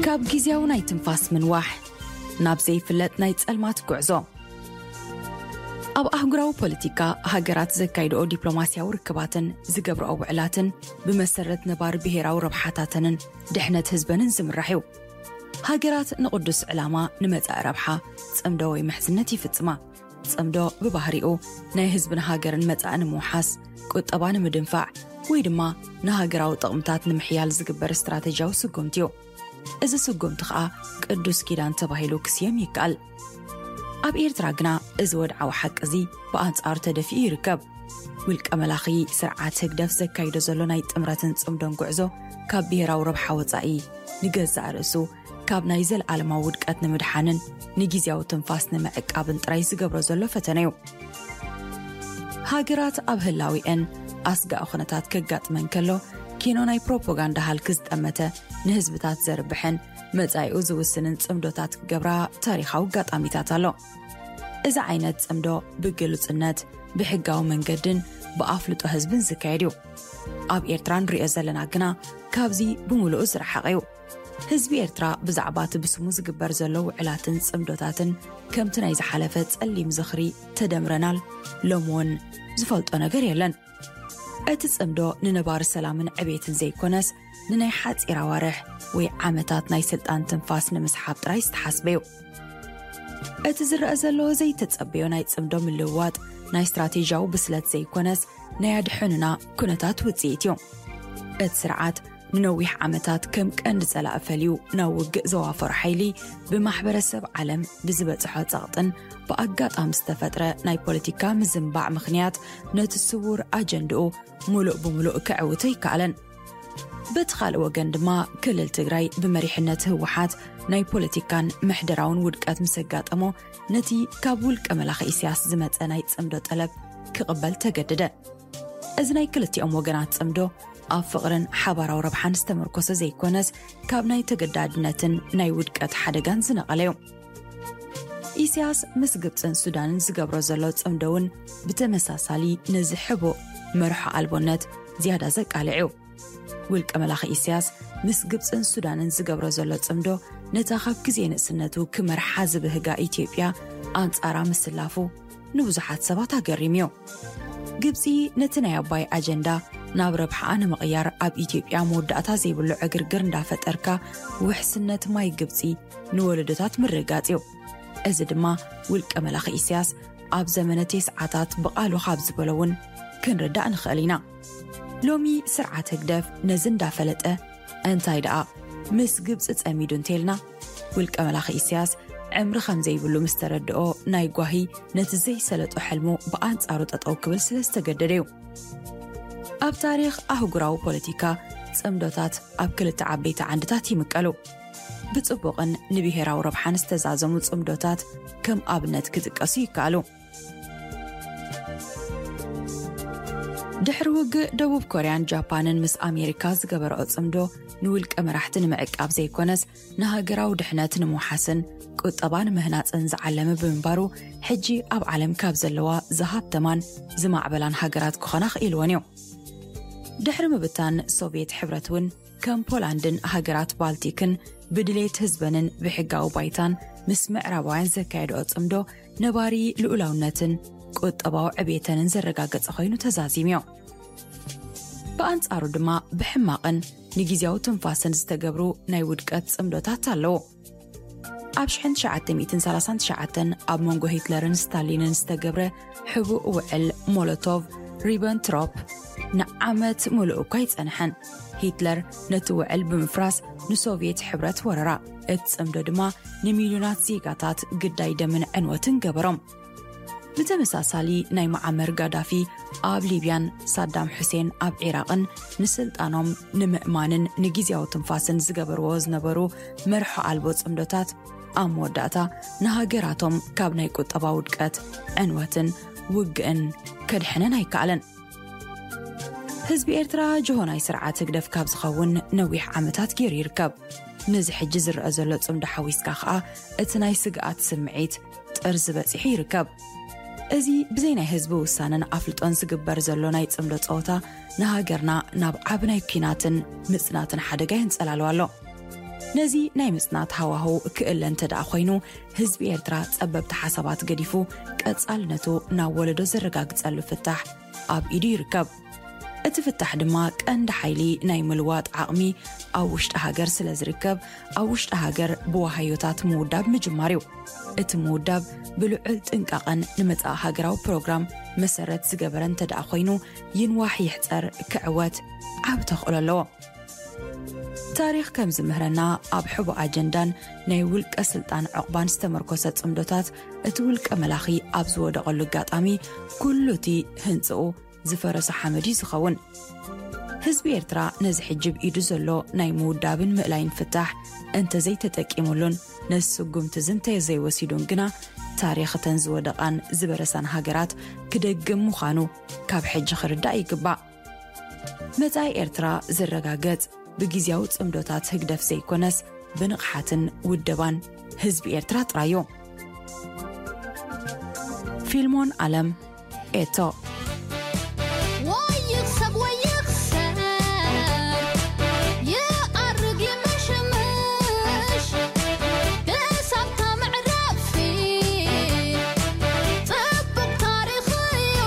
ካብ ግዝያዊ ናይ ትንፋስ ምንዋሕ ናብ ዘይፍለጥ ናይ ጸልማት ጉዕዞ። ኣብ ኣህጉራዊ ፖለቲካ፣ ሃገራት ዘካይድኦ ዲፕሎማስያዊ ርክባትን ዝገብርኦ ውዕላትን ብመሰረት ነባሪ ብሄራዊ ረብሓታተንን ድሕነት ህዝበንን ዝምራሕ እዩ። ሃገራት ንቕዱስ ዕላማ፣ ንመጻኢ ረብሓ፣ ጽምዶ ወይ ምሕዝነት ይፍጽማ። ጽምዶ ብባህሪኡ ናይ ህዝብን ሃገርን መጻኢ ንምውሓስ፣ ቁጠባ ንምድንፋዕ ወይ ድማ ንሃገራዊ ጥቕምታት ንምሕያል ዝግበር ስትራተጂያዊ ስጉምቲ እዩ። እዚ ስጉምቲ ኸኣ ቅዱስ ኪዳን ተባሂሉ ክስየም ይከኣል። ኣብ ኤርትራ ግና እዚ ወድዓዊ ሓቂ እዚ ብኣንጻሩ ተደፊኡ ይርከብ። ውልቀ መላኺ ስርዓት ህግደፍ ዘካይዶ ዘሎ ናይ ጥምረትን ጽምዶን ጉዕዞ ካብ ብሄራዊ ረብሓ ወጻኢ ንገዛእ ርእሱ ካብ ናይ ዘለኣለማዊ ውድቀት ንምድሓንን ንግዝያዊ ትንፋስ ንምዕቃብን ጥራይ ዝገብሮ ዘሎ ፈተነ እዩ። ሃገራት ኣብ ህላዊአን ኣስጋኢ ኩነታት ከጋጥመን ከሎ፣ ኪኖ ናይ ፕሮፓጋንዳ ሃልኪ ዝጠመተ ንህዝብታት ዘርብሕን መጻኢኡ ዝውስንን ጽምዶታት ክገብራ ታሪኻዊ ኣጋጣሚታት ኣሎ። እዚ ዓይነት ጽምዶ ብግሉጽነት፣ ብሕጋዊ መንገድን ብኣፍልጦ ህዝብን ዝካየድ እዩ። ኣብ ኤርትራ ንሪኦ ዘለና ግና ካብዚ ብምሉኡ ዝረሓቐ እዩ። ህዝቢ ኤርትራ ብዛዕባ እቲ ብስሙ ዝግበር ዘሎ ውዕላትን ጽምዶታትን ከምቲ ናይ ዝሓለፈ ጸሊም ዝኽሪ ተደምረናል ሎም እውን ዝፈልጦ ነገር የለን። እቲ ጽምዶ ንነባሪ ሰላምን ዕቤትን ዘይኮነስ ንናይ ሓጺር ኣዋርሕ ወይ ዓመታት ናይ ስልጣን ትንፋስ ንምስሓብ ጥራይ ዝተሓስበ እዩ። እቲ ዝረአ ዘሎ ዘይተጸበዮ ናይ ጽምዶ ምልውዋጥ ናይ ስትራቴጂያዊ ብስለት ዘይኮነስ፣ ናይ ኣድሕኑና ኩነታት ውጽኢት እዩ። እቲ ስርዓት ንነዊሕ ዓመታት ከም ቀንዲ ጸላኢ ፈልዩ ናብ ውግእ ዘዋፈሮ ሓይሊ፣ ብማሕበረሰብ ዓለም ብዝበጽሖ ጸቕጥን ብኣጋጣሚ ዝተፈጥረ ናይ ፖለቲካ ምዝንባዕ ምኽንያት፣ ነቲ ስውር ኣጀንድኡ ምሉእ ብምሉእ ክዕውቶ ኣይከኣለን። በቲ ካልእ ወገን ድማ፣ ክልል ትግራይ ብመሪሕነት ህወሓት ናይ ፖለቲካን ምሕደራውን ውድቀት ምስ ኣጋጠሞ፣ ነቲ ካብ ውልቀ መላኺ ኢሳያስ ዝመጸ ናይ ጽምዶ ጠለብ ክቕበል ተገደደ። እዚ ናይ ክልቲኦም ወገናት ጽምዶ ኣብ ፍቕርን ሓባራዊ ረብሓን ዝተመርኮሰ ዘይኮነስ፣ ካብ ናይ ተገዳድነትን ናይ ውድቀት ሓደጋን ዝነቐለ እዩ። ኢሳያስ ምስ ግብጽን ሱዳንን ዝገብሮ ዘሎ ጽምዶ እውን ብተመሳሳሊ ነዚ ሕቡእ መርሖ ኣልቦነት ዝያዳ ዘቃልዕ እዩ። ውልቀ መላኺ ኢሳያስ ምስ ግብጽን ሱዳንን ዝገብሮ ዘሎ ጽምዶ፣ ነታ ካብ ግዜ ንእስነቱ ክመርሓ ዝብህጋ ኢትዮጵያ ኣንጻራ ምስላፉ ንብዙሓት ሰባት ኣገሪሙ እዩ። ግብጺ ነቲ ናይ ኣባይ ኣጀንዳ ናብ ረብሓኣ ንምቕያር ኣብ ኢትዮጵያ መወዳእታ ዘይብሉ ዕግርግር እንዳፈጠርካ፣ ውሕስነት ማይ ግብጺ ንወለዶታት ምርግጋጽ እዩ። እዚ ድማ ውልቀ መላኺ ኢሳያስ ኣብ ዘመነ ቴስዓታት ብቓሉ ካብ ዝበሎ እውን ክንርዳእ ንኽእል ኢና። ሎሚ ስርዓት ህግደፍ ነዚ እንዳፈለጠ፣ እንታይ ደኣ ምስ ግብጺ ጸሚዱ እንተልና፣ ውልቀ መላኺ ኢሳያስ ዕምሪ ከም ዘይብሉ ምስ ተረድኦ፣ ናይ ጓሂ ነቲ ዘይሰለጦ ሕልሙ ብኣንጻሩ ጠጠው ክብል ስለ ዝተገደደ እዩ። ኣብ ታሪኽ ኣህጉራዊ ፖለቲካ፣ ጽምዶታት ኣብ ክልተ ዓበይቲ ዓንድታት ይምቀሉ። ብጽቡቕን ንብሄራዊ ረብሓን ዝተዛዘሙ ጽምዶታት ከም ኣብነት ክጥቀሱ ይከኣሉ። ድሕሪ ውግእ ደቡብ ኮርያን ጃፓንን ምስ ኣሜሪካ ዝገበረኦ ጽምዶ፣ ንውልቀ መራሕቲ ንምዕቃብ ዘይኮነስ፣ ንሃገራዊ ድሕነት ንምውሓስን ቁጠባ ንምህናጽን ዝዓለመ ብምንባሩ፣ ሕጂ ኣብ ዓለም ካብ ዘለዋ ዝሃብተማን ዝማዕበላን ሃገራት ክኾና ክኢልወን እዩ። ድሕሪ ምብታን ሶቭየት ሕብረት እውን፣ ከም ፖላንድን ሃገራት ባልቲክን ብድሌት ህዝበንን ብሕጋዊ ባይታን ምስ ምዕራባውያን ዘካየድኦ ጽምዶ፣ ነባሪ ልኡላውነትን ቁጠባዊ ዕቤተንን ዘረጋገጸ ኮይኑ ተዛዚሙ እዩ። ብኣንጻሩ ድማ፣ ብሕማቕን ንግዜያዊ ትንፋስን ዝተገብሩ ናይ ውድቀት ጽምዶታት ኣለዉ። ኣብ ሽሕን ትሽዓተ ሚእትን ሰላሳን ትሽዓተን ኣብ መንጎ ሂትለርን ስታሊንን ዝተገብረ ሕቡእ ውዕል ሞሎቶቭ ሪበንትሮፕ ንዓመት ምሉእ እኳ ኣይጸንሐን። ሂትለር ነቲ ውዕል ብምፍራስ ንሶቭየት ሕብረት ወረራ። እቲ ጽምዶ ድማ ንሚልዮናት ዜጋታት ግዳይ ደምን ዕንወትን ገበሮም። ብተመሳሳሊ፣ ናይ መዓመር ጋዳፊ ኣብ ሊብያን ሳዳም ሑሴን ኣብ ዒራቕን ንስልጣኖም ንምእማንን ንግዜያዊ ትንፋስን ዝገበርዎ ዝነበሩ መርሖ ኣልቦ ጽምዶታት፣ ኣብ መወዳእታ ንሃገራቶም ካብ ናይ ቁጠባ ውድቀት፣ ዕንወትን ውግእን ከድሕነን ኣይከኣለን። ህዝቢ ኤርትራ ጅሆ ናይ ስርዓት ህግደፍ ካብ ዝኸውን ነዊሕ ዓመታት ገይሩ ይርከብ። ነዚ ሕጂ ዝረአ ዘሎ ጽምዶ ሓዊስካ ከኣ፣ እቲ ናይ ስግኣት ስምዒት ጥርዚ በጺሑ ይርከብ። እዚ ብዘይ ናይ ህዝቢ ውሳነን ኣፍልጦን ዝግበር ዘሎ ናይ ጽምዶ ጸወታ፣ ንሃገርና ናብ ዓቢ ናይ ኲናትን ምጽናትን ሓደጋ የንጸላልዋ ኣሎ። ነዚ ናይ ምጽናት ሃዋህው ክእለ እንተ ደኣ ኮይኑ፣ ህዝቢ ኤርትራ ጸበብቲ ሓሳባት ገዲፉ፣ ቀጻልነቱ ናብ ወለዶ ዘረጋግጸሉ ፍታሕ ኣብ ኢዱ ይርከብ። እቲ ፍታሕ ድማ ቀንዲ ሓይሊ ናይ ምልዋጥ ዓቕሚ ኣብ ውሽጢ ሃገር ስለ ዝርከብ፣ ኣብ ውሽጢ ሃገር ብዋሃዮታት ምውዳብ ምጅማር እዩ። እቲ ምውዳብ ብልዑል ጥንቃቐን ንመጻኢ ሃገራዊ ፕሮግራም መሰረት ዝገበረ እንተ ደኣ ኮይኑ፣ ይንዋሕ ይሕጸር ክዕወት ዓቢ ተኽእሎ ኣለዎ። ታሪኽ ከም ዝምህረና፣ ኣብ ሕቡእ ኣጀንዳን ናይ ውልቀ ስልጣን ዕቑባን ዝተመርኮሰ ጽምዶታት፣ እቲ ውልቀ መላኺ ኣብ ዝወደቐሉ ኣጋጣሚ፣ ኩሉ እቲ ህንጽኡ ዝፈረሰ ሓመድ እዩ ዝኸውን። ህዝቢ ኤርትራ ነዚ ሕጂ ኣብ ኢዱ ዘሎ ናይ ምውዳብን ምእላይን ፍታሕ እንተዘይተጠቂሙሉን ነዚ ስጉምቲ እዚ እንተዘይወሲዱን ግና፣ ታሪኽ እተን ዝወደቓን ዝበረሳን ሃገራት ክደግም ምዃኑ ካብ ሕጂ ክርዳእ ይግባእ። መጻኢ ኤርትራ ዝረጋገጽ ብግዝያዊ ጽምዶታት ህግደፍ ዘይኮነስ፣ ብንቕሓትን ውደባን ህዝቢ ኤርትራ ጥራይ እዩ። ፊልሞን ኣለም፣ ኤቶ። ወይኽ ሰብ ወይኽ ሰብ፣ ይኣርግ ይምሽምሽ፣ ክሳብታ መዕረፊ ጽቡቕ ታሪኽ እዩ፣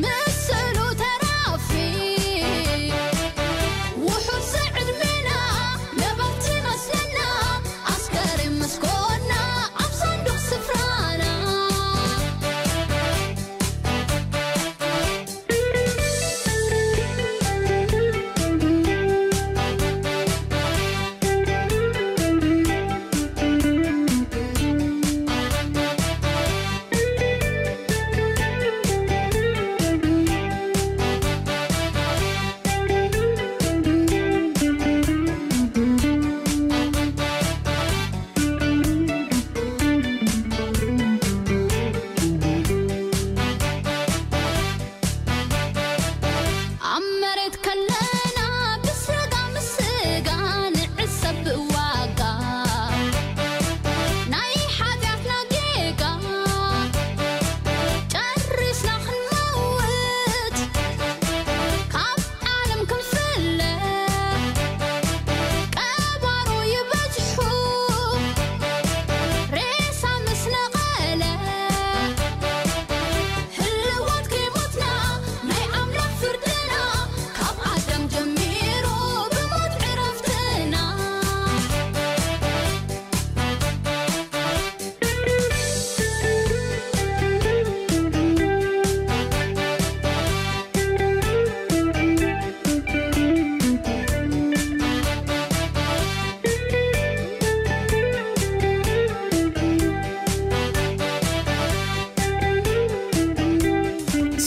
ምስሉ ተራፊ። ውሑድ ዕድሜና ነበርቲ መስለና፣ ኣስከሬን ምስ ኮና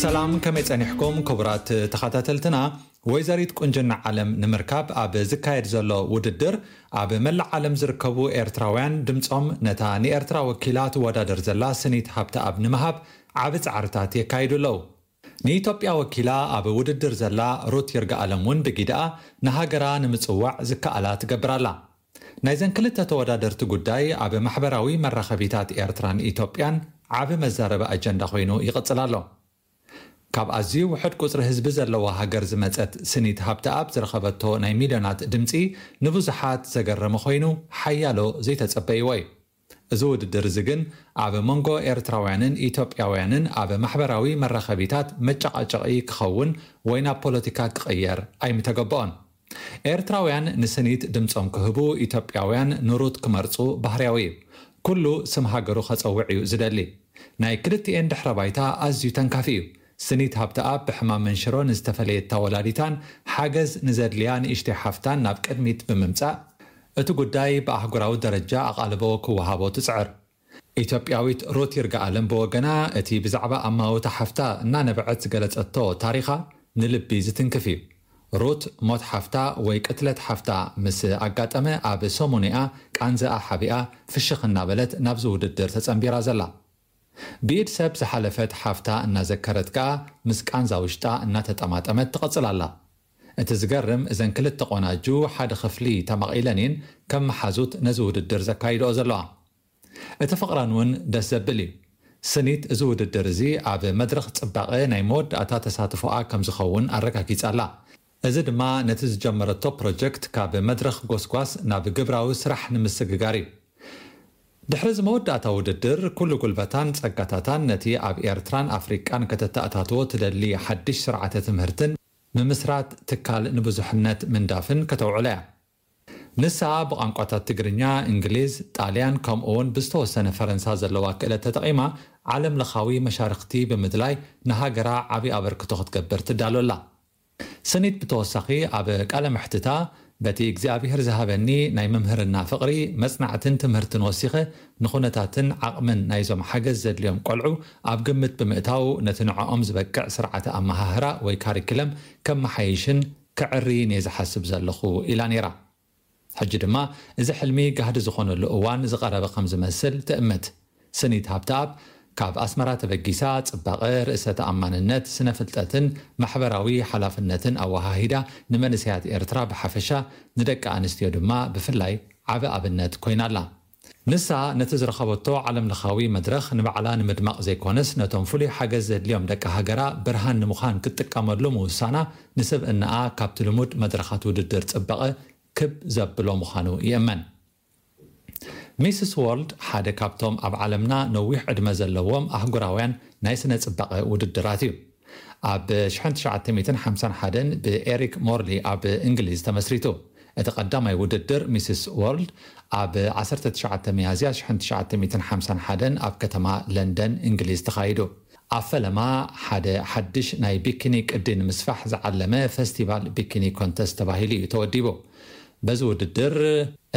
ሰላም፣ ከመይ ጸኒሕኩም ክቡራት ተኸታተልትና? ወይዘሪት ቁንጅና ዓለም ንምርካብ ኣብ ዝካየድ ዘሎ ውድድር፣ ኣብ መላእ ዓለም ዝርከቡ ኤርትራውያን ድምጾም ነታ ንኤርትራ ወኪላ ትወዳደር ዘላ ስኒት ሃብተኣብ ንምሃብ ዓቢ ጻዕርታት የካይዱ ኣለዉ። ንኢትዮጵያ ወኪላ ኣብ ውድድር ዘላ ሩት ይርጋኣለም እውን ብጊድኣ ንሃገራ ንምጽዋዕ ዝከኣላ ትገብር ኣላ። ናይዘን ክልተ ተወዳደርቲ ጉዳይ ኣብ ማሕበራዊ መራኸቢታት ኤርትራን ኢትዮጵያን ዓቢ መዛረቢ ኣጀንዳ ኮይኑ ይቕጽል ኣሎ። ካብ ኣዝዩ ውሑድ ቁጽሪ ህዝቢ ዘለዋ ሃገር ዝመጸት ስኒት ሃብተኣብ ዝረኸበቶ ናይ ሚልዮናት ድምጺ ንብዙሓት ዘገረመ ኮይኑ፣ ሓያሎ ዘይተጸበይዎ እዩ። እዚ ውድድር እዚ ግን ኣብ መንጎ ኤርትራውያንን ኢትዮጵያውያንን ኣብ ማሕበራዊ መራኸቢታት መጨቓጨቒ ክኸውን ወይ ናብ ፖለቲካ ክቕየር ኣይምተገበኦን። ኤርትራውያን ንስኒት ድምጾም ክህቡ፣ ኢትዮጵያውያን ንሩት ክመርጹ ባህርያዊ እዩ። ኩሉ ስም ሃገሩ ከጸውዕ እዩ ዝደሊ። ናይ ክልቲኤን ድሕረ ባይታ ኣዝዩ ተንካፊ እዩ። ስኒት ሃብተኣብ ብሕማም መንሽሮ ንዝተፈለየታ ወላዲታን ሓገዝ ንዘድልያ ንእሽተይ ሓፍታን ናብ ቅድሚት ብምምጻእ፣ እቲ ጉዳይ ብኣህጉራዊ ደረጃ ኣቓልቦ ክወሃቦ ትጽዕር። ኢትዮጵያዊት ሩት ይርጋኣለም ብወገና፣ እቲ ብዛዕባ ኣማውታ ሓፍታ እናነበዐት ዝገለጸቶ ታሪኻ ንልቢ ዝትንክፍ እዩ። ሩት ሞት ሓፍታ ወይ ቅትለት ሓፍታ ምስ ኣጋጠመ፣ ኣብ ሰሙንኣ ቃንዛኣ ሓቢኣ ፍሽኽ እናበለት ናብዚ ውድድር ተጸንቢራ ዘላ። ብኢድ ሰብ ዝሓለፈት ሓፍታ እናዘከረት ከኣ ምስ ቃንዛ ውሽጣ እናተጠማጠመት ትቕጽል ኣላ። እቲ ዝገርም፣ እዘን ክልተ ቆናጁ ሓደ ክፍሊ ተማቒለን እየን ከም መሓዙት ነዚ ውድድር ዘካይድኦ ዘለዋ። እቲ ፍቕረን እውን ደስ ዘብል እዩ። ስኒት እዚ ውድድር እዚ ኣብ መድረኽ ጽባቐ ናይ መወዳእታ ተሳትፎኣ ከም ዝኸውን ኣረጋጊጻ ኣላ። እዚ ድማ ነቲ ዝጀመረቶ ፕሮጀክት ካብ መድረኽ ጎስጓስ ናብ ግብራዊ ስራሕ ንምስግጋር እዩ። ድሕሪ እዚ መወዳእታ ውድድር፣ ኩሉ ጉልበታን ጸጋታታን ነቲ ኣብ ኤርትራን ኣፍሪቃን ከተተኣታትዎ ትደሊ ሓድሽ ስርዓተ ትምህርትን ምምስራት ትካል ንብዙሕነት ምንዳፍን ከተውዕሎ እያ። ንሳ ብቋንቋታት ትግርኛ፣ እንግሊዝ፣ ጣልያን፣ ከምኡ እውን ብዝተወሰነ ፈረንሳ ዘለዋ ክእለት ተጠቒማ፣ ዓለም ለኻዊ መሻርኽቲ ብምድላይ ንሃገራ ዓቢ ኣበርክቶ ክትገብር ትዳሎ ኣላ። ስኒት ብተወሳኺ ኣብ ቃለ መሕትታ፣ በቲ እግዚኣብሄር ዝሃበኒ ናይ መምህርና ፍቕሪ፣ መጽናዕትን ትምህርትን ወሲኸ፣ ንኹነታትን ዓቕምን ናይዞም ሓገዝ ዘድልዮም ቆልዑ ኣብ ግምት ብምእታው፣ ነቲ ንዕኦም ዝበቅዕ ስርዓተ ኣመሃህራ ወይ ካሪክለም ከመሓይሽን ከዕርይን እየ ዝሓስብ ዘለኹ ኢላ ነይራ። ሕጂ ድማ እዚ ሕልሚ ጋህዲ ዝኾነሉ እዋን ዝቐረበ ከም ዝመስል ትእምት። ስኒት ሃብተኣብ ካብ ኣስመራ ተበጊሳ፣ ጽባቐ፣ ርእሰ ተኣማንነት፣ ስነ ፍልጠትን ማሕበራዊ ሓላፍነትን ኣወሃሂዳ፣ ንመንእሰያት ኤርትራ ብሓፈሻ፣ ንደቂ ኣንስትዮ ድማ ብፍላይ ዓቢ ኣብነት ኮይና ኣላ። ንሳ ነቲ ዝረኸበቶ ዓለም ለኻዊ መድረኽ ንባዕላ ንምድማቕ ዘይኮነስ፣ ነቶም ፍሉይ ሓገዝ ዘድልዮም ደቂ ሃገራ ብርሃን ንምዃን ክትጥቀመሉ ምውሳና፣ ንስብእናኣ ካብቲ ልሙድ መድረኻት ውድድር ጽባቐ ክብ ዘብሎ ምዃኑ ይእመን። ሚስስ ዎርልድ ሓደ ካብቶም ኣብ ዓለምና ነዊሕ ዕድመ ዘለዎም ኣህጉራውያን ናይ ስነ ጽባቐ ውድድራት እዩ። ኣብ ሽሕን ትሽዓተ ሚእትን ሓምሳን ሓደን ብኤሪክ ሞርሊ ኣብ እንግሊዝ ተመስሪቱ። እቲ ቀዳማይ ውድድር ሚስስ ዎርልድ ኣብ ዓሰርተ ትሽዓተ ሚያዝያ ሽሕን ትሽዓተ ሚእትን ሓምሳን ሓደን ኣብ ከተማ ለንደን እንግሊዝ ተኻይዱ። ኣብ ፈለማ ሓደ ሓድሽ ናይ ቢኪኒ ቅዲ ንምስፋሕ ዝዓለመ ፈስቲቫል ቢኪኒ ኮንተስት ተባሂሉ እዩ ተወዲቡ። በዚ ውድድር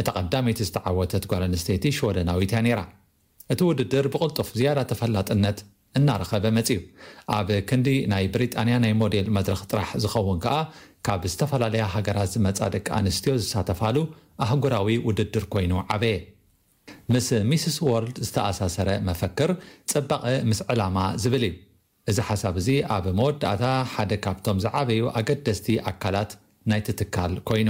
እታ ቀዳመይቲ ዝተዓወተት ጓል ኣንስተይቲ ሽወደናዊት እያ ነይራ። እቲ ውድድር ብቕልጡፍ ዝያዳ ተፈላጥነት እናረኸበ መጺኡ። ኣብ ክንዲ ናይ ብሪጣንያ ናይ ሞዴል መድረኽ ጥራሕ ዝኸውን ከኣ፣ ካብ ዝተፈላለያ ሃገራት ዝመጻ ደቂ ኣንስትዮ ዝሳተፋሉ ኣህጉራዊ ውድድር ኮይኑ ዓበየ። ምስ ሚስስ ዎርልድ ዝተኣሳሰረ መፈክር፣ ጽባቐ ምስ ዕላማ ዝብል እዩ። እዚ ሓሳብ እዚ ኣብ መወዳእታ ሓደ ካብቶም ዝዓበዩ ኣገደስቲ ኣካላት ናይቲ ትካል ኮይኑ።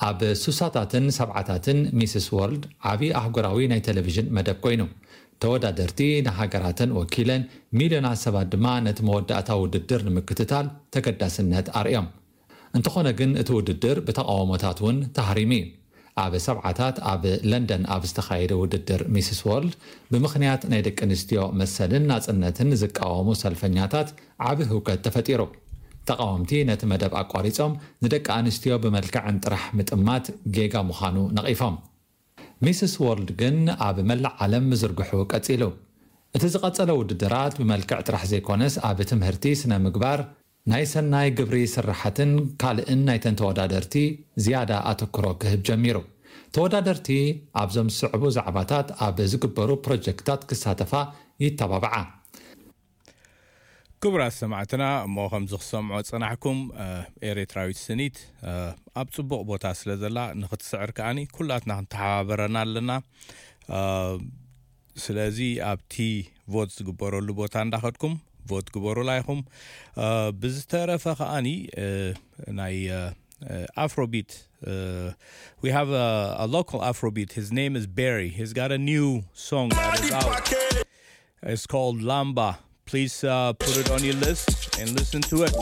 ኣብ ሱሳታትን ሰብዓታትን ሚስስ ዎርልድ ዓቢ ኣህጉራዊ ናይ ቴሌቪዥን መደብ ኮይኑ። ተወዳደርቲ ንሃገራተን ወኪለን፣ ሚልዮናት ሰባት ድማ ነቲ መወዳእታ ውድድር ንምክትታል ተገዳስነት ኣርእዮም። እንተኾነ ግን፣ እቲ ውድድር ብተቓውሞታት እውን ተሃሪሙ እዩ። ኣብ ሰብዓታት ኣብ ለንደን ኣብ ዝተኻየደ ውድድር ሚስስ ዎርልድ፣ ብምኽንያት ናይ ደቂ ኣንስትዮ መሰልን ናጽነትን ዝቃወሙ ሰልፈኛታት ዓቢ ህውከት ተፈጢሩ። ተቓወምቲ ነቲ መደብ ኣቋሪጾም፣ ንደቂ ኣንስትዮ ብመልክዐን ጥራሕ ምጥማት ጌጋ ምዃኑ ነቒፎም። ሚስስ ዎርልድ ግን ኣብ መላእ ዓለም ምዝርግሑ ቀጺሉ። እቲ ዝቐጸለ ውድድራት ብመልክዕ ጥራሕ ዘይኮነስ፣ ኣብ ትምህርቲ፣ ስነ ምግባር፣ ናይ ሰናይ ግብሪ ስራሓትን ካልእን ናይተን ተወዳደርቲ ዝያዳ ኣተኩሮ ክህብ ጀሚሩ። ተወዳደርቲ ኣብዞም ዝስዕቡ ዛዕባታት ኣብ ዝግበሩ ፕሮጀክታት ክሳተፋ ይተባብዓ። ክቡራት ሰማዕትና፣ እሞ ከምዚ ክሰምዖ ጽናሕኩም፣ እ፣ ኤርትራዊት ስኒት፣ እ፣ ኣብ ጽቡቕ ቦታ ስለ ዘላ ንኽትስዕር ከኣኒ ኩላትና ክንተሓባበረና ኣለና። እ፣ ስለዚ ኣብቲ ቮት ዝግበረሉ ቦታ እንዳኸድኩም ቮት ግበሩላ ኢኹም። እ፣ ብዝተረፈ ከኣኒ፣ እ፣ ናይ፣ እ፣ እ፣ ኣፍሮቢት፣ እ፣ we have a, a local Afrobeat. His name is Barry. He's got a new song that is out. It's called Lamba. Please, uh, put it on your list and listen to it.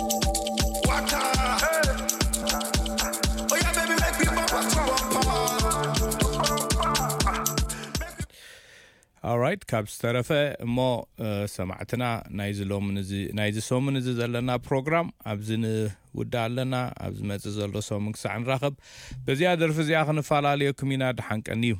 Alright, ካብ ዝተረፈ እሞ፣ እ፣ ሰማዕትና፣ ናይዚ ሎምን እዚ፣ ናይዚ ሰሙን እዚ ዘለና ፕሮግራም ኣብዚ ንውዳእ ኣለና። ኣብ ዝመጽእ ዘሎ ሰሙን ክሳዕ ንራኸብ፣ በዚኣ ደርፊ እዚኣ ክንፈላለየኩም ኢና። ደሓን ቀንዩ።